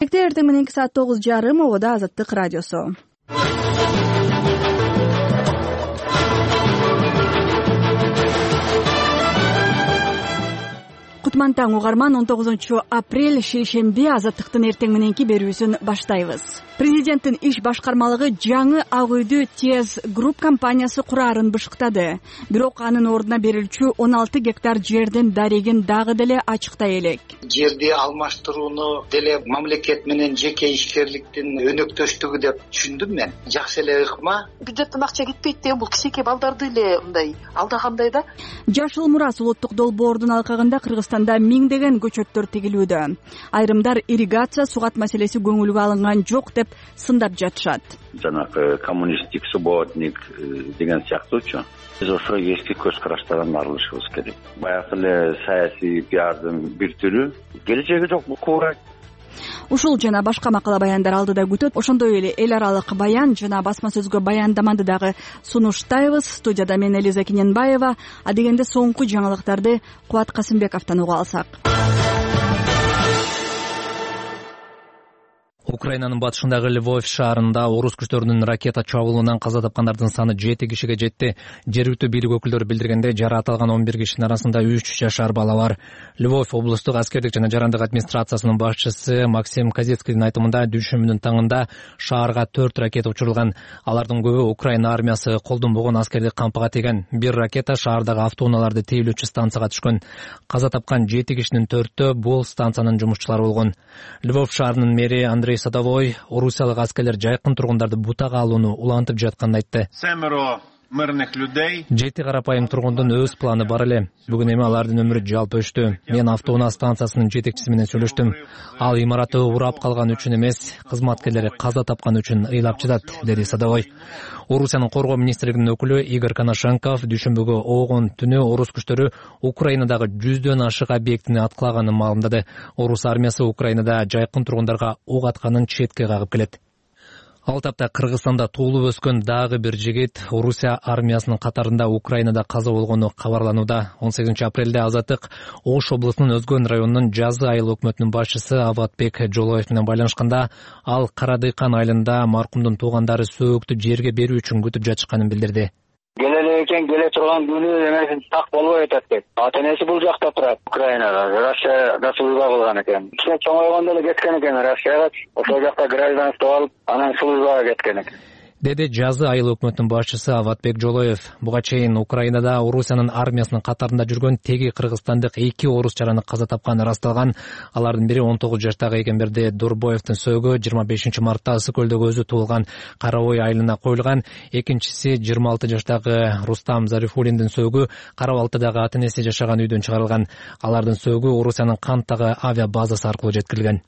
Эртең мененки саат 9:30 обода Азаттык радиосу. Кутман таң угарман, 19 апрель шейшемби Азаттыктын эртең мененки берүүсүн баштайбыз. Президенттин иш башкармалыгы жаңы Ак үйдү ТЕЗ Групп компаниясы кураарын бышыктады. Бирок анын ордуна берилчү 16 гектар жердин дарегин дагы деле ачыктай элек. Жерди алмаштырууну деле мамлекет менен жеке ишкерликтин өнөктөштүгү деп түшүндүм мен. Жакшы эле ыкма. Бюджеттен акча кетпейт деген бул кичинекей балдарды эле мындай алдагандай да. Жашыл Мурас улуттук долбоордун алкагында Кыргызстанда миңдеген көчөттөр тегилүүдө. Айрымдар ирригация, сугат маселеси көңүлгө алынган жок деп сындап жатышат. Жанагы коммунисттик субботник деген сыяктуучу. Биз ошо эски көз караштардан арылышыбыз керек. Баягы эле саясий пиардын бир түрү, келечеги жок куура. Ушул жана башка макала баяндар алдыда күтөт. Ошондой эле эл аралык баян жана басма сөзгө баяндаманды дагы сунуштайбыз. Студияда мен Элиза Кененбаева. А дегенде соңку жаңылыктарды Кубат Касымбековдон уга алсак. Украинанын батышындагы Львов шаарында орус күчтөрүнүн ракета чабуулунан каза тапкандардын саны 7 кишиге жетти. Жергиликтүү бийлик өкүлдөрү билдиргенде, жаратылган 11 кишинин арасында 3 жашар бала бар. Львов облустук аскердик жана жарандык администрациясынын башчысы Максим Казецкийдин айтымында, дүшүмүнүн таңында шаарга 4 ракета учурулган. Алардын көбү Украина армиясы колдонбогон аскердик кампыга тийген. Бир ракета шаардагы автоунааларды тейлөөчү станцияга түшкөн. Каза тапкан 7 кишинин 4-тө бул станциянын жумушчулары болгон. Львов шаарынын мэри Андрей Садовой орусиялык аскерлер жайкын тургундарды бутага алууну улантып жатканын айтты. 7 карапайым тургундун өз планы бар эле. Бүгүн эми алардын өмүрү жалпы өчтү. Мен автоунаа станциясынын жетекчиси менен сөйлөштүм. Ал имаратты урап калган үчүн эмес, кызматкерлери каза тапкан үчүн ыйлап жатат, деди Садовой. Орусиянын коргоо министрлигинин өкүлү Игорь Коношенков дүшүмбүгү огон түнү орус күчтөрү Украинадагы 100дөн ашык объектини аткылаганын маалымдады. Орус армиясы Украинада жайкын тургундарга ок атканын четке кагып келет. Ал тапта Кыргызстанда туулуп өскөн дагы бир жигит Орусия армиясынын катарында Украинада каза болгону кабарланууда. 18 апрелде Азаттык Ош облусунун Өзгөн районунун Жазы айыл өкмөтүнүн башчысы Аватбек Жолоев менен байланышканда, ал Карадыйкан айылында маркумдун туугандары сөөктү жерге берүү үчүн күтүп жатышканын билдирди. Келе экен, келе турган күнү эмесин так болбой атат деп. Ата-энеси бул жакта турат, Украинада. Россияда служба кылган экен. Кичине чоңойгондо эле кеткен экен Россияга. Ошол жакта гражданство алып, анан службага кеткен экен, деди Жазы айыл өкмөтүнүн башчысы Аватбек Жолоев. Буга чейин Украинада Орусиянын армиясынын катарында жүргөн теги кыргызстандык 2 орус жараны каза тапканы ырасталган. Алардын бири 19 жаштагы Эгемберди Дурбоевдин сөөгү 25 мартта Ысык көлдөгү өзү туулган Карабой айылына коюлган. Экинчиси 26 жаштагы Рустам Зарифуллиндин сөөгү Карабалтыдагы ата-энеси жашаган үйдөн чыгарылган. Алардын сөөгү Орусиянын Канттагы авиа базасы аркылуу жеткирилген.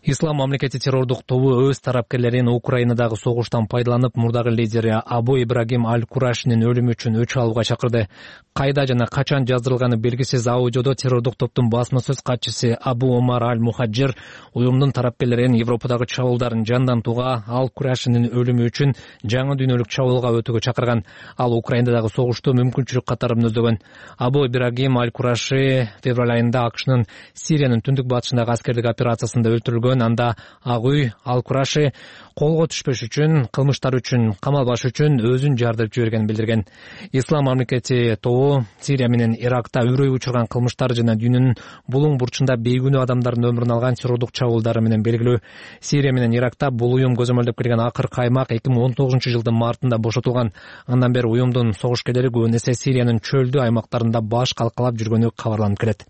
Ислам мамлекети террордук тобу өз тарапкерлерин Украинадагы согуштан пайдаланып, мурдагы лидери Абу Ибрагим Аль-Курашинин өлүмү үчүн өч алууга чакырды. Кайда жана качан жаздырылганы белгисиз аудиодо террордук топтун басма сөз катчысы Абу Омар Аль-Мухаджир уюмдун тарапкерлерин Европадагы чабуулдарын жандантууга, Аль-Курашинин өлүмү үчүн жаңы дүйнөлүк чабуулга өтүүгө чакырган. Ал Украинадагы согушту мүмкүнчүлүк катары мүнөздөгөн. Абу Ибрагим Аль-Кураши февраль айында АКШнын Сириянын түндүк батышындагы аскердик операциясында өлтүрүлгөн. Анда Ак үй Аль-Кураши колго түшпөш үчүн, кылмыштар үчүн камалбаш үчүн өзүн жардырып жибергенин билдирген. Ислам мамлекети тобу Сирия менен Иракта үрөй учурган кылмыштар жана дүйнөнүн булуң бурчунда бейгүнөө адамдардын өмүрүн алган террордук чабуулдары менен белгилүү. Сирия менен Иракта бул уюм көзөмөлдөп келген акыркы аймак 2019 жылдын мартында бошотулган. Андан бери уюмдун согушкерлери көбүн эсе Сириянын чөлдүү аймактарында баш калкалап жүргөнү кабарланып келет.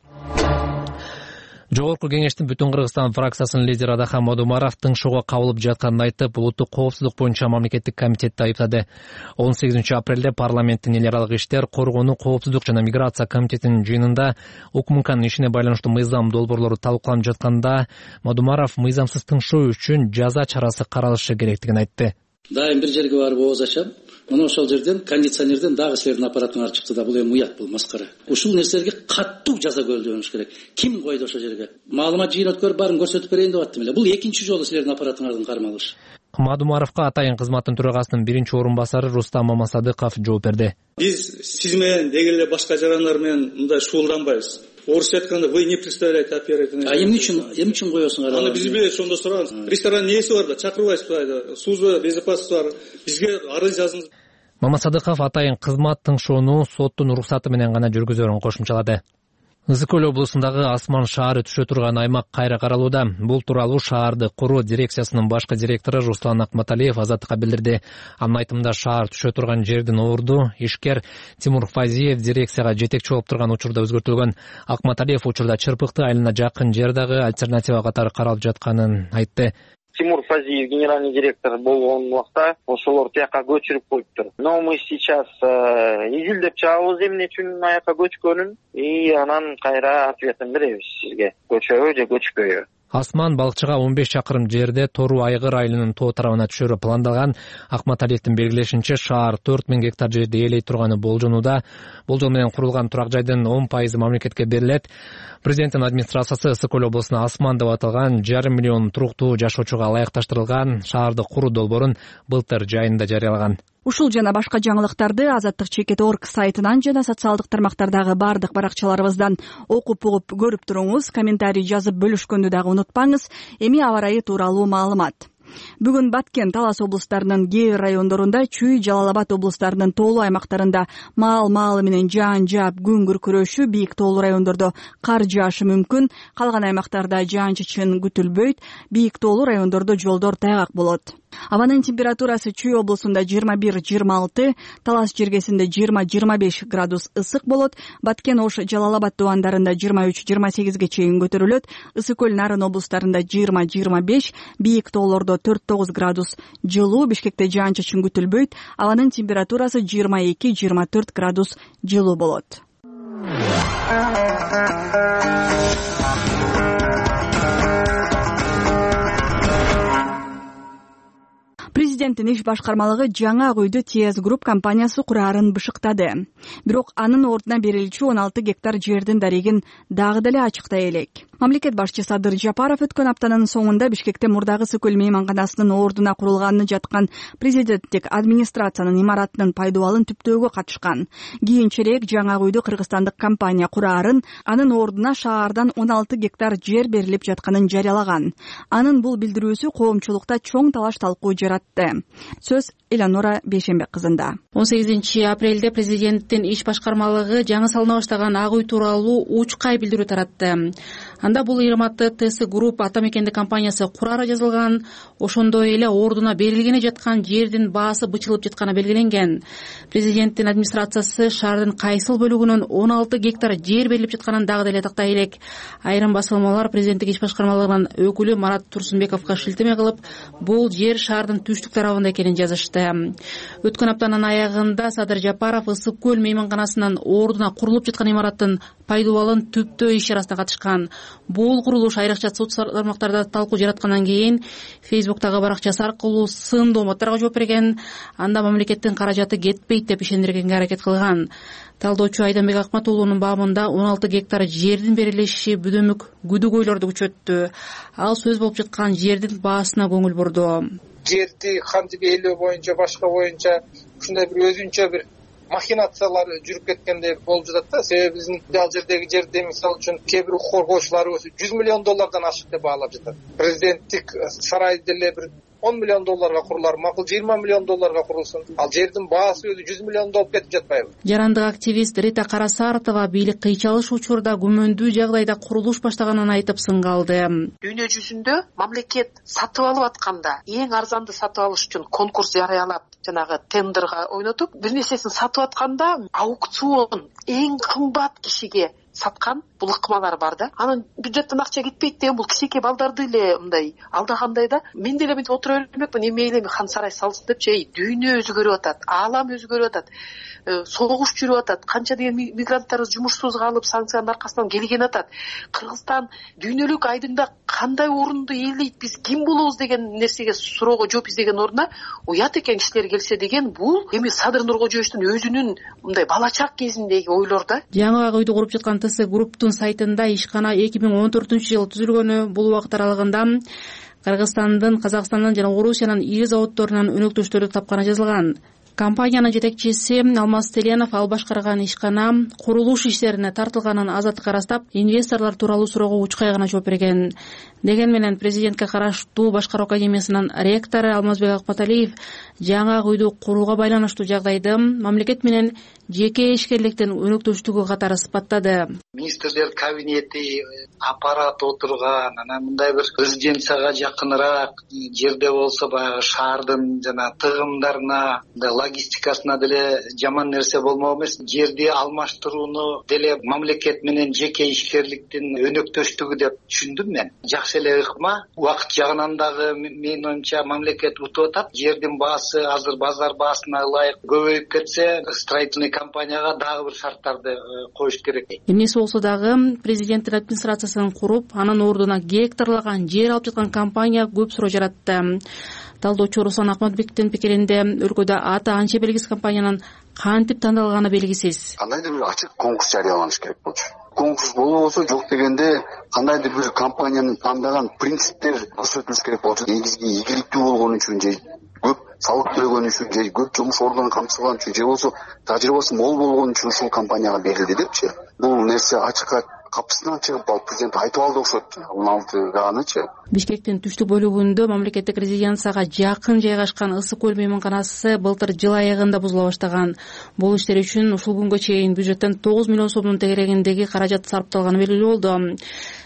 Жогорку кеңештин Бүтүн Кыргызстан фракциясынын лидери Адахан Мадумаров тыңшоого кабылып жатканын айтып, улуттук коопсуздук боюнча мамлекеттик комитетти айыптады. 18 апрелде парламенттин эл аралык иштер, коргонуу, коопсуздук жана миграция комитетинин жыйынында УКМКнын ишине байланыштуу мыйзам долбоорлору талкууланып жатканда, Мадумаров мыйзамсыз тыңшоо үчүн жаза чарасы каралышы керектигин айтты. Дайым бир жерге барып ооз ачам. Мына ошол жерден кондиционерден дагы силердин аппаратыңар чыкты да, бул эми уят, бул маскара. Ушул нерселерге каттуу жаза көрүлүш керек. Ким койду ошол жерге? Маалымат жыйын өткөрүп баарын көрсөтүп берейин деп аттым эле. Бул экинчи жолу силердин аппаратыңардын кармалышы. Мадумаровго атайын кызматтын төрагасынын биринчи орун басары Рустам Мамасадыков жооп берди. Биз сиз менен деги эле башка жарандар менен мындай шуулданбайбыз. орусча айтканда вы не представляете оператора. Эмне үчүн коесуңар? Аны биз билебиз, ошондо сураган. Ресторандын ээси бар да, чакырбайсызбы? Сузба безопасность бар. Бизге арыз жазыңыз. Мамасадыков атайын кызмат тыңшоону соттун уруксаты менен гана жүргүзөрүн кошумчалады. Ысык көл облусундагы Асман шаары түшө турган аймак кайра каралууда. Бул тууралуу шаарды куруу дирекциясынын башкы директору Руслан Акматалиев Азаттыкка билдирди. Анын айтымында шаар түшө турган жердин орду ишкер Тимур Фазиев дирекцияга жетекчи болуп турган учурда өзгөртүлгөн. Акматалиев учурда Чырпыкты айылына жакын жер дагы альтернатива катары каралып жатканын айтты. Тимур Фазиев генеральный директор болгон убакта ошолор тияка көчүрүп коюптур. Но мы сейчас изилдеп чыгабыз эмне үчүн аяка көчкөнүн и анан кайра ответин беребиз сизге. Көчөбү же көчпөйбү. Асман балыкчыга 15 чакырым жерде Тору Айгыр айылынын тоо тарабына түшөрү пландалган. Акматалиевдин белгилешинче шаар 4000 гектар жерди ээлей турганы болжонууда. Болжол менен курулган турак жайдын 10% мамлекетке берилет. Президенттин администрациясы Ысык көл облусуна Асман деп аталган 1,5 миллион туруктуу жашоочуга ылайыкташтырылган шаарды куруу долбоорун былтыр жайында жарыялаган. Ушул жана башка жаңылыктарды Азаттык.org сайтынан жана социалдык тармактардагы бардык баракчаларыбыздан окуп угуп көрүп туруңуз. Комментарий жазып бөлүшкөндү дагы унутпаңыз. Эми аба ырайы тууралуу маалымат. Бүгүн Баткен, Талас облустарынын кээ бир райондорунда, Чүй, Жалал Абад облустарынын тоолуу аймактарында маал менен жаап күн күркүрөшү, бийик тоолуу райондордо кар жаашы мүмкүн. Калган аймактарда жаан-чачын күтүлбөйт. Бийик тоолуу райондордо жолдор тайгак болот. Абанын температурасы Чүй облусунда 21-26, Талас жергесинде 20-25 градус ысык болот. Баткен, Ош, Жалал Абад дубандарында 23-28ге чейин көтөрүлөт. Ысык көл, Нарын облустарында 20-25, бийик тоолордо 4-9 градус жылуу. Бишкекте жаан-чачын күтүлбөйт. Абанын температурасы 22-24 градус жылуу болот. Президенттин иш башкармалыгы жаңы Ак үйдү ТС Групп компаниясы кураарын бышыктады. Бирок анын ордуна берилчү 16 гектар жердин дарегин дагы деле ачыктай элек. Мамлекет башчы Садыр Жапаров өткөн аптанын соңунда Бишкекте мурдагы Ысык көл мейманканасынын ордуна курулганы жаткан президенттик администрациянын имаратынын пайдубалын түптөөгө катышкан. Кийинчерээк жаңы Ак үйдү кыргызстандык компания кураарын, анын ордуна шаардан 16 гектар жер берилип жатканын жарыялаган. Анын бул билдирүүсү коомчулукта чоң талаш-талкуу жаратты. Сөз Эланора Бейшембек кызында. 18 апрелде президенттин иш башкармалыгы жаңы салына баштаган Ак үй тууралуу учкай билдирүү таратты. Анда бул ыйырматты ТС Групп ата мекендик компаниясы курары жазылган, ошондой эле ордуна берилгене жаткан жердин баасы бычылып жатканы белгиленген. Президенттин администрациясы шаардын кайсыл бөлүгүнөн 16 гектар жер берилип жатканын дагы деле тактай элек. Айрым басылмалар президенттик иш башкармалыгынын өкүлү Марат Турсунбековго шилтеме кылып, бул жер шаардын түштүк тарабында экенин жазышты. Өткөн аптанын аягында Садыр Жапаров Ысык көл мейманканасынын ордуна курулуп жаткан имараттын пайдубалын түптөө иш чарасына катышкан. Бул курулуш айрыкча социалдык тармактарда талкуу жараткандан кийин Фейсбуктагы баракчасы аркылуу сындуу мааттарга жооп берген. Анда мамлекеттин каражаты кетпейт деп ишендиргенге аракет кылган. Талдоочу Айданбек Акмат уулунун бабында 16 гектар жердин берилиши бүдөмүк күдүгөйлөрдү күчөттү. Ал сөз болуп жаткан жердин баасына көңүл бурду. Жерди кантип ээлөө боюнча, башка боюнча ушундай бир өзүнчө бир махинациялар жүрүп кеткендей болуп жатат да. Себеби биздин ал жердеги жерди мисалы үчүн кээ бир коргоочулар $100 миллион ашык деп баалап жатат. Президенттик сарай деле бир $10 миллион курулар, макул $20 миллион курулсын. Ал жердин баасы өзү $100 миллион болуп кетип жатпайбы? Жарандык активист Рита Карасаартова бийлик кыйчалыш учурда күмөндүү жагдайда курулуш баштаганын айтып сынгалды. Дүйнө жүзүндө мамлекет сатып алып атканда эң арзанды сатып алыш үчүн конкурс жарыялап, жанагы тендерга ойнотуп, бир нерсесин сатып атканда аукцион эң кымбат кишиге саткан бул ыкмалар бар да. Анын бюджеттен акча кетпейт деген бул кичинекей балдарды эле мындай алдагандай да. Мен деле мынтип отура бермекмин, эми эле хан сарай салсын депчи. Дүйнө өзгөрүп атат, аалам өзгөрүп атат. Согуш жүрүп атат. Канча деген мигранттарыбыз жумушсуз калып, санкциянын аркасынан келген атат. Кыргызстан дүйнөлүк айдыңда кандай орунду ээлейт, биз ким болобуз деген нерсеге суроого жооп издеген ордуна уят экен кишилер келсе деген бул эми Садыр Нуркожоевичтин өзүнүн мындай балачак кезиндеги ойлор да. Жаңы Ак үйдү куруп жаткан ТС Групптун сайтында ишкана 2014-жылы түзүлгөнү. Бул убакыт аралыгында Кыргызстандын, Казакстандын жана Орусиянын ири заводдорунан өнөктөштөрдү тапканы жазылган. Компаниянын жетекчиси Алмаз Теленов ал башкарган ишкана курулуш иштерине тартылганын азаттыкка ырастап, инвесторлор тууралуу суроого учкай гана жооп берген. Деген менен президентке караштуу Башкаруу академиясынын ректору Алмазбек Акматалиев жаңы ак үйдү курууга байланыштуу жагдайды мамлекет менен жеке ишкерликтин өнөктөштүгү катары сыпаттады. Министрлер кабинети, аппарат отурган, анан мындай бир резиденцияга жакыныраак жерде болсо баягы шаардын жана тыгымдарына, логистикасына деле жаман нерсе болмок эмес. Жерди алмаштырууну деле мамлекет менен жеке ишкерликтин өнөктөштүгү деп түшүндүм мен. Жакшы эле ыкма. Убакыт жагынан дагы менин оюмча мамлекет утуп атат. Жердин баасы азыр базар баасына ылайык көбөйүп кетсе, строительный компанияга дагы бир шарттарды коюш керек. Эмнеси болсо дагы президенттин администрациясын куруп, анын ордуна гектарлаган жер алып жаткан компания көп суроо жаратты. Талдоочу Руслан Акматбектин пикиринде өлкөдө аты анча белгисиз компаниянын кантип тандалганы белгисиз. Кандайдыр бир ачык конкурс жарыяланыш керек болчу. Конкурс болбосо жок дегенде кандайдыр бир компанияны тандаган принциптер көрсөтүлүш керек болчу. Негизги ийгиликтүү болгон үчүн же көп салык төлөгөн үчүн же көп жумуш ордун камтылган үчүн же болсо тажрыйбасы мол болгон үчүн ушул компанияга берилди депчи. Бул нерсе ачыкка капысынан чыгып ал президент айтып алды окшойт. 16-ганычы. Бишкектин түштүк бөлүгүндө мамлекеттик резиденцияга жакын жайгашкан Ысык көл мейманканасы былтыр жыл аягында бузула баштаган. Бул иштер үчүн ушул күнгө чейин бюджеттен 9 миллион сомдун тегерегиндеги каражат сарпталганы белгилүү болду.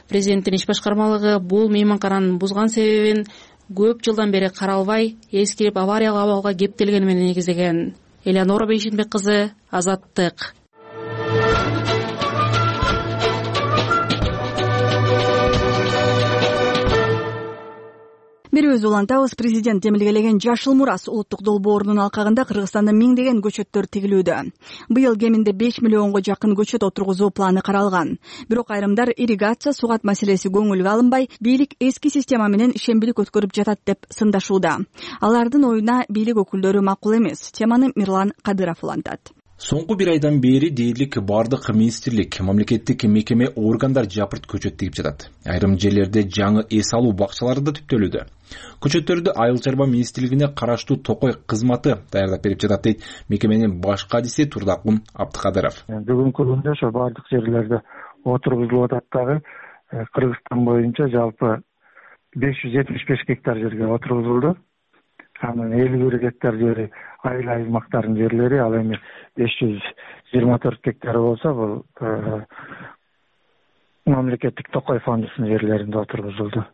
Президенттин иш башкармалыгы бул мейманкананын бузган себебин көп жылдан бери каралбай, эскирип авариялык абалга кептелгени менен негиздеген. Элеонора Бейшенбек кызы, Азаттык. Берүүбүздү улантабыз. Президент демилгелеген Жашыл Мурас улуттук долбоорунун алкагында Кыргызстанда миңдеген көчөттөр тигилүүдө. Быйыл кеминде 5 миллионго жакын көчөт отургузуу планы каралган. Бирок айрымдар ирригация, сугат маселеси көңүлгө алынбай, бийлик эски система менен ишембилик өткөрүп жатат деп сындашууда. Алардын оюна бийлик өкүлдөрү макул эмес. Теманы Мирлан Кадыров улантат. Соңку бир айдан бери дээрлик бардык министрлик, мамлекеттик мекеме, органдар жапырт көчөт тигип жатат. Айрым жерлерде жаңы эс алуу бакчалары да түптөлүүдө. Көчөттөрдү Айыл чарба министрлигине караштуу Токой кызматы даярдап берип жатат дейт мекеменин баш кадиси Турдакун Абдыкадыров. Бүгүнкү күндө ошо бардык жерлерде отургузулуп атат дагы. Кыргызстан боюнча жалпы 575 гектар жерге отургузулду. Анын 51 гектар жери айыл аймактарынын жерлери, ал эми 524 гектар болсо бул мамлекеттик Токой фондунун жерлеринде отургузулду.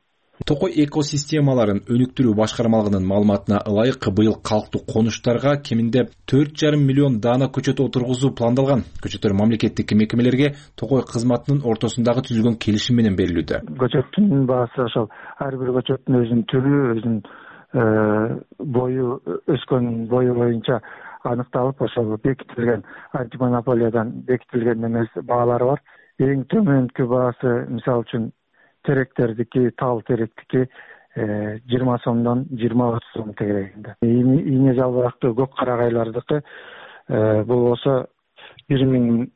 Токой экосистемаларын өнүктүрүү башкармалыгынын маалыматына ылайык быйыл калктуу конуштарга кеминде 4,5 миллион даана көчөт отургузуу пландалган. Көчөттөр мамлекеттик мекемелерге Токой кызматынын ортосундагы түзүлгөн келишим менен берилүүдө. Көчөттүн баасы ошол ар бир көчөттүн өзүнүн түрү, өзүнүн бою, өскөн бою боюнча аныкталып, ошол бекитилген антимонополиядан бекитилген эмес баалары бар. Эң төмөнкү баасы мисалы үчүн теректердики, тал теректики 20 сомдон 20-30 сом тегерегинде. Ийне жалбырактуу көк карагайлардыкы бул болсо 1500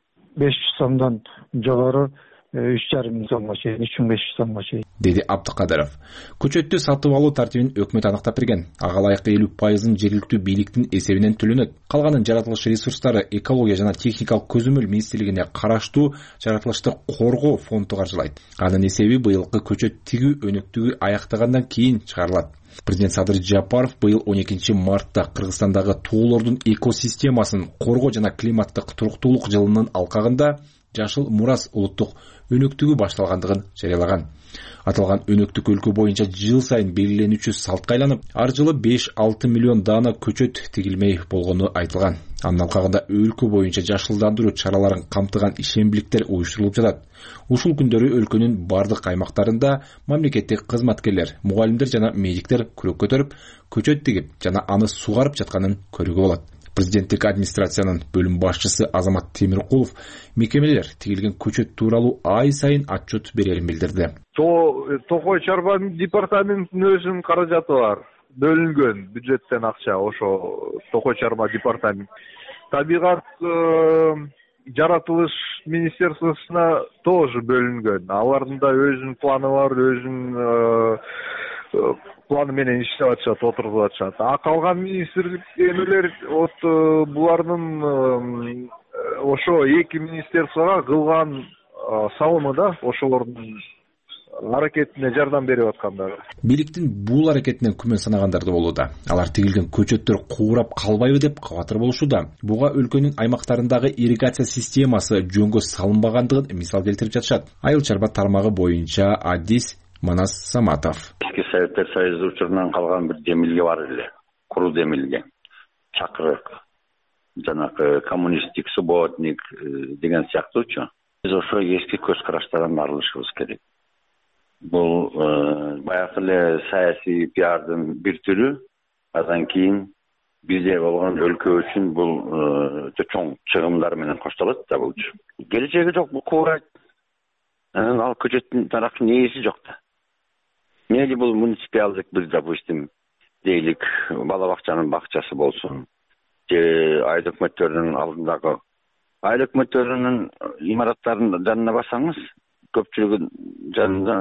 сомдон жогору 3,5 сомго чейин, 3500 сомго чейин, деди Абдыкадыров. Көчөттү сатып алуу тартибин өкмөт аныктап берген. Ага ылайык 50% жергиликтүү бийликтин эсебинен төлөнөт. Калганын жаратылыш ресурстары, экология жана техникалык көзөмөл министрлигине караштуу жаратылышты коргоо фонду каржылайт. Анын эсеби быйылкы көчөт тигүү өнөктүгү аяктагандан кийин чыгарылат. Президент Садыр Жапаров быйыл 12 мартта Кыргызстандагы тоолордун экосистемасын коргоо жана климаттык туруктуулук жылынын алкагында Жашыл Мурас улуттук өнөктүгү башталгандыгын жарыялаган. Аталган өнөктүк өлкө боюнча жыл сайын белгиленүүчү салтка айланып, ар жылы 5-6 миллион даана көчөт тигилмей болгону айтылган. Анын алкагында өлкө боюнча жашылдандыруу чараларын камтыган ишембиликтер уюштурулуп жатат. Ушул күндөрү өлкөнүн бардык аймактарында мамлекеттик кызматкерлер, мугалимдер жана медиктер күрөк көтөрүп, көчөт тигип жана аны сугарып жатканын көрүүгө болот. Президенттик администрациянын бөлүм башчысы Азамат Темиркулов мекемелер тигилген көчөт тууралуу ай сайын отчет берерин билдирди. Токой чарба департаментинин өзүнүн каражаты бар. Бөлүнгөн бюджеттен акча ошо Токой чарба департамент. Табигат жаратылыш министерствосуна тоже бөлүнгөн. Алардын да өзүнүн планы бар, өзүнүн планы менен иштеп атышат, отургузуп атышат. А калган министрлик эмелер вот булардын ошо эки министерствого кылган салымы да ошолордун аракетине жардам берип аткандар. Бийликтин бул аракетинен күмөн санагандар да болууда. Алар тигилген көчөттөр куурап калбайбы деп кабатыр болушууда. Буга өлкөнүн аймактарындагы ирригация системасы жөнгө салынбагандыгын мисал келтирип жатышат. Айыл чарба тармагы боюнча Адис Манас Саматов. Эски Советтер Союзу учурунан калган бир демилге бар эле. Куру демилге. Чакырык. Жанагы коммунисттик субботник деген сыяктуучу. Биз ошо эски көз караштардан арылышыбыз керек. Бул баягы эле саясий пиардын бир түрү. Андан кийин бизде болгон өлкө үчүн бул чоң чыгымдар менен коштолот да бул. Келечеги жок, бул куурайт. Ал көчөттүн таракы нээси жок да. Мейли бул муниципалдык бир, допустим, дейлик бала бакчанын бакчасы болсун, же айыл өкмөттөрүнүн алдындагы айыл өкмөттөрүнүн имараттарынын жанына барсаңыз, көпчүлүгүн жанында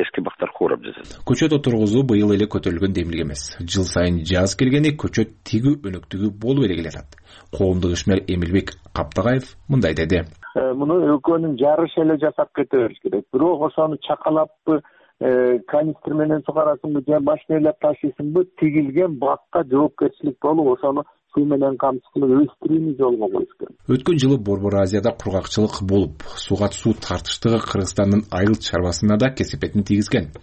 эски бактар куурап жатат. Көчөт отургузуу быйыл эле көтөрүлгөн демилге эмес. Жыл сайын жаз келгенде көчөт тигүү өнөктүгү болуп эле келатат. Коомдук ишмер Эмилбек Каптагаев мындай деди. Муну өлкөнүн жарышы эле жасап кете бериш керек. Бирок ошону чакалаппы, канистр менен сугарасыңбы, же машинелеп ташыйсыңбы, тигилген бакка жоопкерчилик болуп, ошону суу менен камсыз кылып өстүрүүнү жолго коюш керек. Өткөн жылы Борбор Азияда кургакчылык болуп, суга суу тартыштыгы Кыргызстандын айыл чарбасына да кесепетин тийгизген.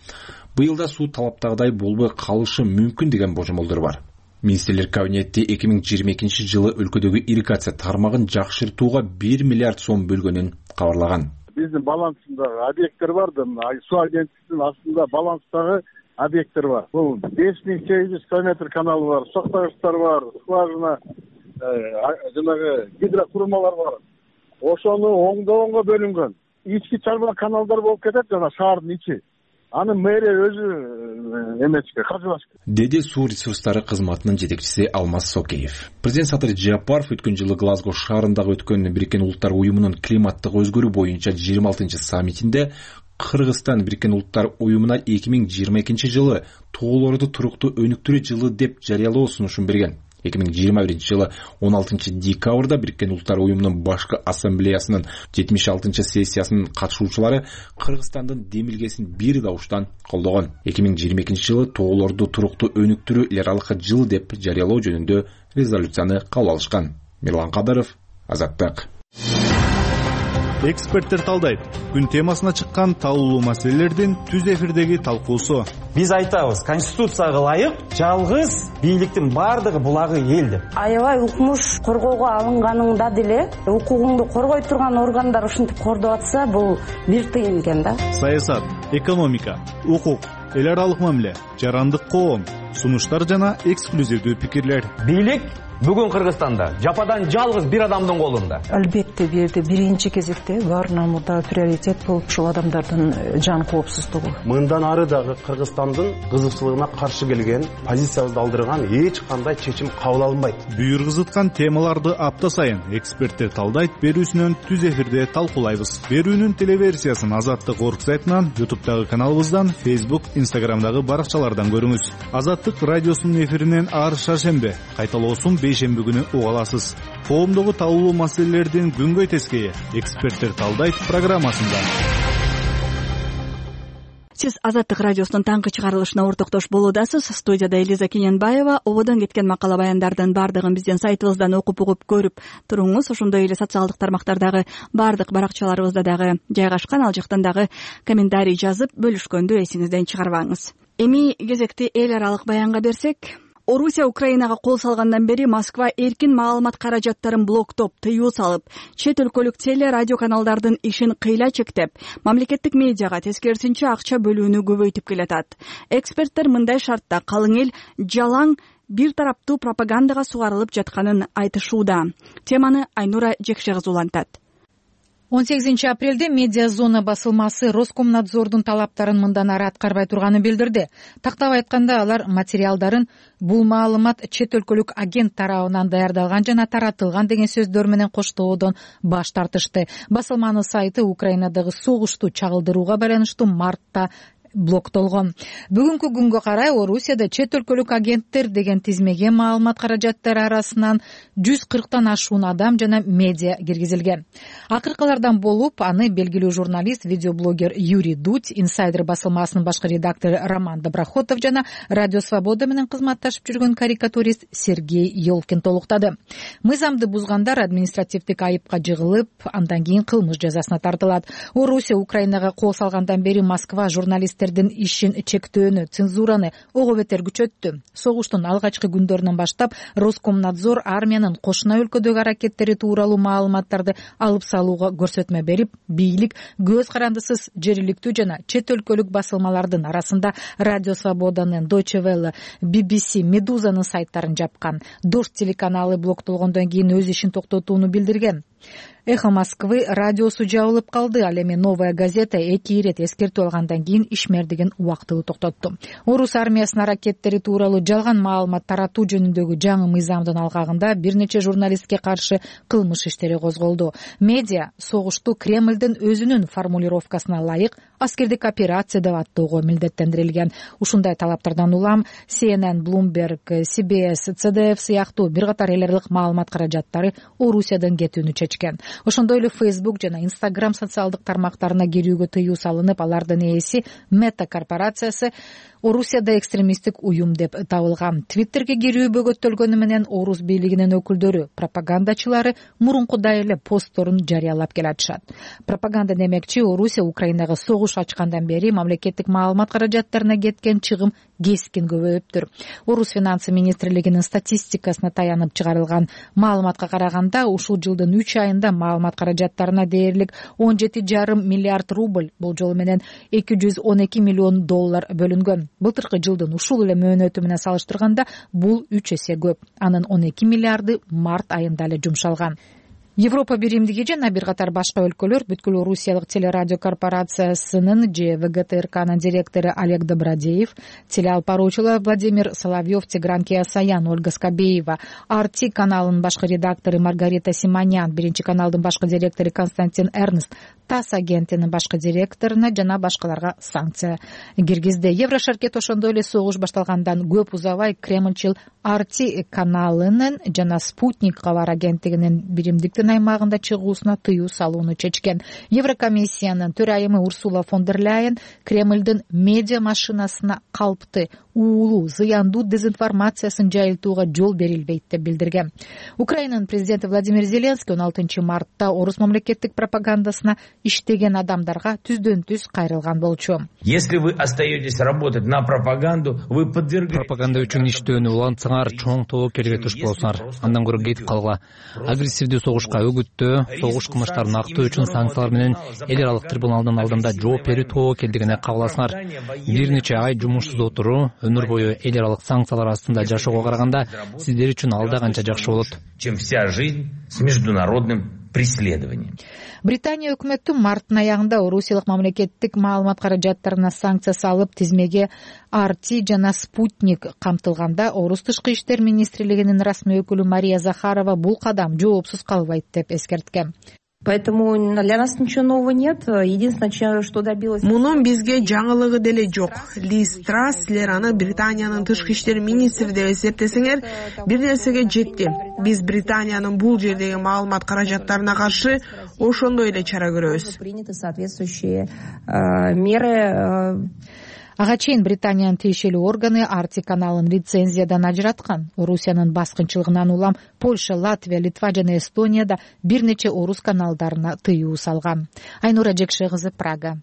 Быйыл да суу талаптагыдай болбой калышы мүмкүн деген божомолдор бар. Министрлер кабинети 2022 жылы өлкөдөгү ирригация тармагын жакшыртууга 1 миллиард сом бөлгөнүн кабарлаган. Биздин балансындагы объекттер бар да, суу агенттигинин астында баланстагы объекттер бар. Бул 5800 километр каналы бар, соктогучтар бар, скважина, жанагы гидрокурмалар бар. Ошону оңдогонго бөлүнгөн. Ички чарба каналдар болуп кетет жана шаардын ичи. Аны мэрия өзү эмечке, каржылашка. Деди суу ресурстары кызматынын жетекчиси Алмаз Сокеев. Президент Садыр Жапаров өткөн жылы Глазго шаарындагы өткөн Бириккен Улуттар уюмунун климаттык өзгөрүү боюнча 26-саммитинде Кыргызстан Бириккен Улуттар уюмуна 2022 жылы тоолорду туруктуу өнүктүрүү жылы деп жарыялоо сунушун берген. 2021 жылы 16 декабрда Бириккен Улуттар уюмунун башкы ассамблеясынын 76 сессиясынын катышуучулары Кыргызстандын демилгесин бир дауштан колдогон. 2022 жылы тоолорду туруктуу өнүктүрүү эл аралык жыл деп жарыялоо жөнүндө резолюцияны кабыл алышкан. Мирлан Кадыров, Азаттык. Эксперттер талдайт. Күн темасына чыккан талкуулуу маселелердин түз эфирдеги талкуусу. Биз айтабыз, конституцияга ылайык жалгыз бийликтин бардыгы булагы эл деп. Аябай укмуш коргоого алынганыңда деле укугуңду коргой турган органдар ушинтип кордоп атса, бул бир тыйын экен да. Саясат, экономика, укук, эл аралык мамиле, жарандык коом, сунуштар жана эксклюзивдүү пикирлер. Бийлик бүгүн Кыргызстанда жападан жалгыз бир адамдын колунда. Албетте бул жерде биринчи кезекте баарынан мурда приоритет болуп ушул адамдардын жан коопсуздугу. Мындан ары дагы Кыргызстандын кызыкчылыгына каршы келген, позициябызды алдырган эч кандай чечим кабыл алынбайт. Бүйүргүзүткан темаларды апта сайын эксперттер талдайт берүүсүнөн түз эфирде талкуулайбыз. Берүүнүн телеверсиясын Азаттык орг сайтынан, YouTube'дагы каналыбыздан, Facebook, Instagram'дагы баракчалардан көрүңүз. Азаттык радиосунун эфиринен ар шаршембе, кайталоосун бейшемби күнү уга аласыз. Коомдогу талкуулуу маселелердин күнгөй тескейи эксперттер талдайт программасында. Сиз Азаттык радиосунун таңкы чыгарылышына ортоктош болуудасыз. Студияда Элиза Кененбаева. Ободон кеткен макала баяндардын бардыгын биздин сайтыбыздан окуп угуп көрүп туруңуз. Ошондой эле социалдык тармактардагы бардык баракчаларыбызда дагы жайгашкан, ал жактан дагы комментарий жазып бөлүшкөндү эсиңизден чыгарбаңыз. Эми кезекти эл аралык баянга берсек, Орусия Украинага кол салгандан бери Москва эркин маалымат каражаттарын блоктоп, тыюу салып, чет өлкөлүк теле радио каналдардын ишин кыйла чектеп, мамлекеттик медиага тескерисинче акча бөлүүнү көбөйтүп келатат. Эксперттер мындай шартта калың эл жалаң бир тараптуу пропагандага сугарылып жатканын айтышууда. Теманы Айнура Жекшегиз улантат. 18 апрелде медиа зона басылмасы Роскомнадзордун талаптарын мындан ары аткарбай турганын билдирди. Тактап айтканда, алар материалдарын бул маалымат чет өлкөлүк агент тарабынан даярдалган жана таратылган деген сөздөр менен коштоодон баш тартышты. Басылманын сайты Украинадагы согушту чагылдырууга байланыштуу мартта блоктолгон. Бүгүнкү күнгө карай Орусияда чет өлкөлүк агенттер деген тизмеге маалымат каражаттары арасынан 140тан ашуун адам жана медиа киргизилген. Акыркылардан болуп аны белгилүү журналист, видеоблогер Юрий Дудь, Инсайдер басылмасынын башкы редактору Роман Доброхотов жана Радио Свобода менен кызматташып жүргөн карикатурист Сергей Ёлкин толуктады. Мыйзамды бузгандар административдик айыпка жыгылып, андан кийин кылмыш жазасына тартылат. Орусия Украинага кол салгандан бери Москва журналисттердин ишин чектөөнү, цензураны ого бетер күчөттү. Согуштун алгачкы күндөрүнөн баштап Роскомнадзор армиянын кошуна өлкөдөгү аракеттери тууралуу маалыматтарды алып салууга көрсөтмө берип, бийлик көз карандысыз жергиликтүү жана чет өлкөлүк басылмалардын арасында Радио Свободанын, Deutsche Welle, BBC, Медузанын сайттарын жапкан. Дождь телеканалы блоктолгондон кийин өз ишин токтотууну билдирген. Эхо Москвы радиосу жабылып калды. Ал эми Новая газета 2 ирет эскертүү алгандан кийин ишмердигин убактылуу токтотту. Орус армиясынын аракеттери тууралуу жалган маалымат таратуу жөнүндөгү жаңы мыйзамдын алгагында бир нече журналистке каршы кылмыш иштери козголду. Медиа согушту Кремлдин өзүнүн формулировкасына ылайык аскердик операция деп аттоого милдеттендирилген. Ушундай талаптардан улам CNN, Bloomberg, CBS, CDF сыяктуу бир катар эл аралык маалымат каражаттары Орусиядан кетүүнү чечкен. Ошондой эле Facebook жана Instagram социалдык тармактарына кирүүгө тыюу салынып, алардын ээси Meta корпорациясы Орусияда экстремисттик уюм деп табылган. Твиттерге кирүү бөгөттөлгөнү менен Орус бийлигинин өкүлдөрү, пропагандачылары мурункудай эле постторун жарыялап келатышат. Пропаганда демекчи, Орусия Украинага согуш ачкандан бери мамлекеттик маалымат каражаттарына кеткен чыгым кескин көбөйүптүр. Орус финансы министрлигинин статистикасына таянып чыгарылган маалыматка караганда, ушул жылдын 3 айында маалымат каражаттарына дээрлик 17,5 миллиард рубль, бул жолу менен 212 миллион доллар бөлүнгөн. Былтыркы жылдын ушул эле мөөнөтү менен салыштырганда бул 3 эсе көп. Анын 12 миллиарды март айында эле жумшалган. Европа биримдиги жана бир катар башка өлкөлөр бүткүл Орусиялык телерадио корпорациясынын ВГТРКнын директору Олег Добродеев, телеалпаруучулар Владимир Соловьев, Тигран Кеосаян, Ольга Скобеева, RT каналынын башкы редактору Маргарита Симонян, Биринчи каналдын башкы директору Константин Эрнст, ТАСС агентинин башкы директоруна жана башкаларга санкция киргизди. Еврошеркет ошондой эле согуш башталгандан көп узабай Кремлчил RT каналынын жана Спутник кабар агенттигинин биримдиктин аймагында чыгуусуна тыюу салууну чечкен. Еврокомиссиянын төрайымы Урсула фон дер Ляйен Кремлдин медиа машинасына калпты, уулуу, зыяндуу дезинформациясын жайылтууга жол берилбейт деп билдирген. Украинанын президенти Владимир Зеленский 16 мартта Орус мамлекеттик пропагандасына иштеген адамдарга түздөн-түз кайрылган болчу. Если вы остаетесь работать на пропаганду, вы подвергаетесь... Пропаганда үчүн иштөөнү улантсаңар, чоң тобокелге туш болсуңар. Андан көрө кетип калгыла. Агрессивдүү согушка үгүттөө, согуш кылмыштарын актоо үчүн санкциялар менен эл аралык трибуналдын алдында жооп берүү тобокелдигине кабыл алсаңар. Бир нече ай жумушсуз отуруу, өмүр бою эл аралык санкциялар астында жашоого караганда сиздер үчүн алда канча жакшы болот. Чем вся жизнь с международным преследованием. Британия өкмөтү марттын аягында Орусиялык мамлекеттик маалымат каражаттарына санкция салып, тизмеге RT жана Спутник камтылганда, Орус тышкы иштер министрлигинин расмий өкүлү Мария Захарова бул кадам жоопсуз калбайт деп эскерткен. Поэтому для нас ничего нового нет. Единственное, что добилось... Мунун бизге жаңылыгы деле жок. Лиз Трасс, силер аны Британиянын тышкы иштер министри деп эсептесеңер, бир нерсеге жетти. Биз Британиянын бул жердеги маалымат каражаттарына каршы ошондой эле чара көрөбүз. Приняты соответствующие меры. Ага чейин Британиянын тиешелүү органы RT каналын лицензиядан ажыраткан. Орусиянын баскынчылыгынан улам Польша, Латвия, Литва жана Эстонияда бир нече орус каналдарына тыюу салган. Айнура Жекше кызы, Прага.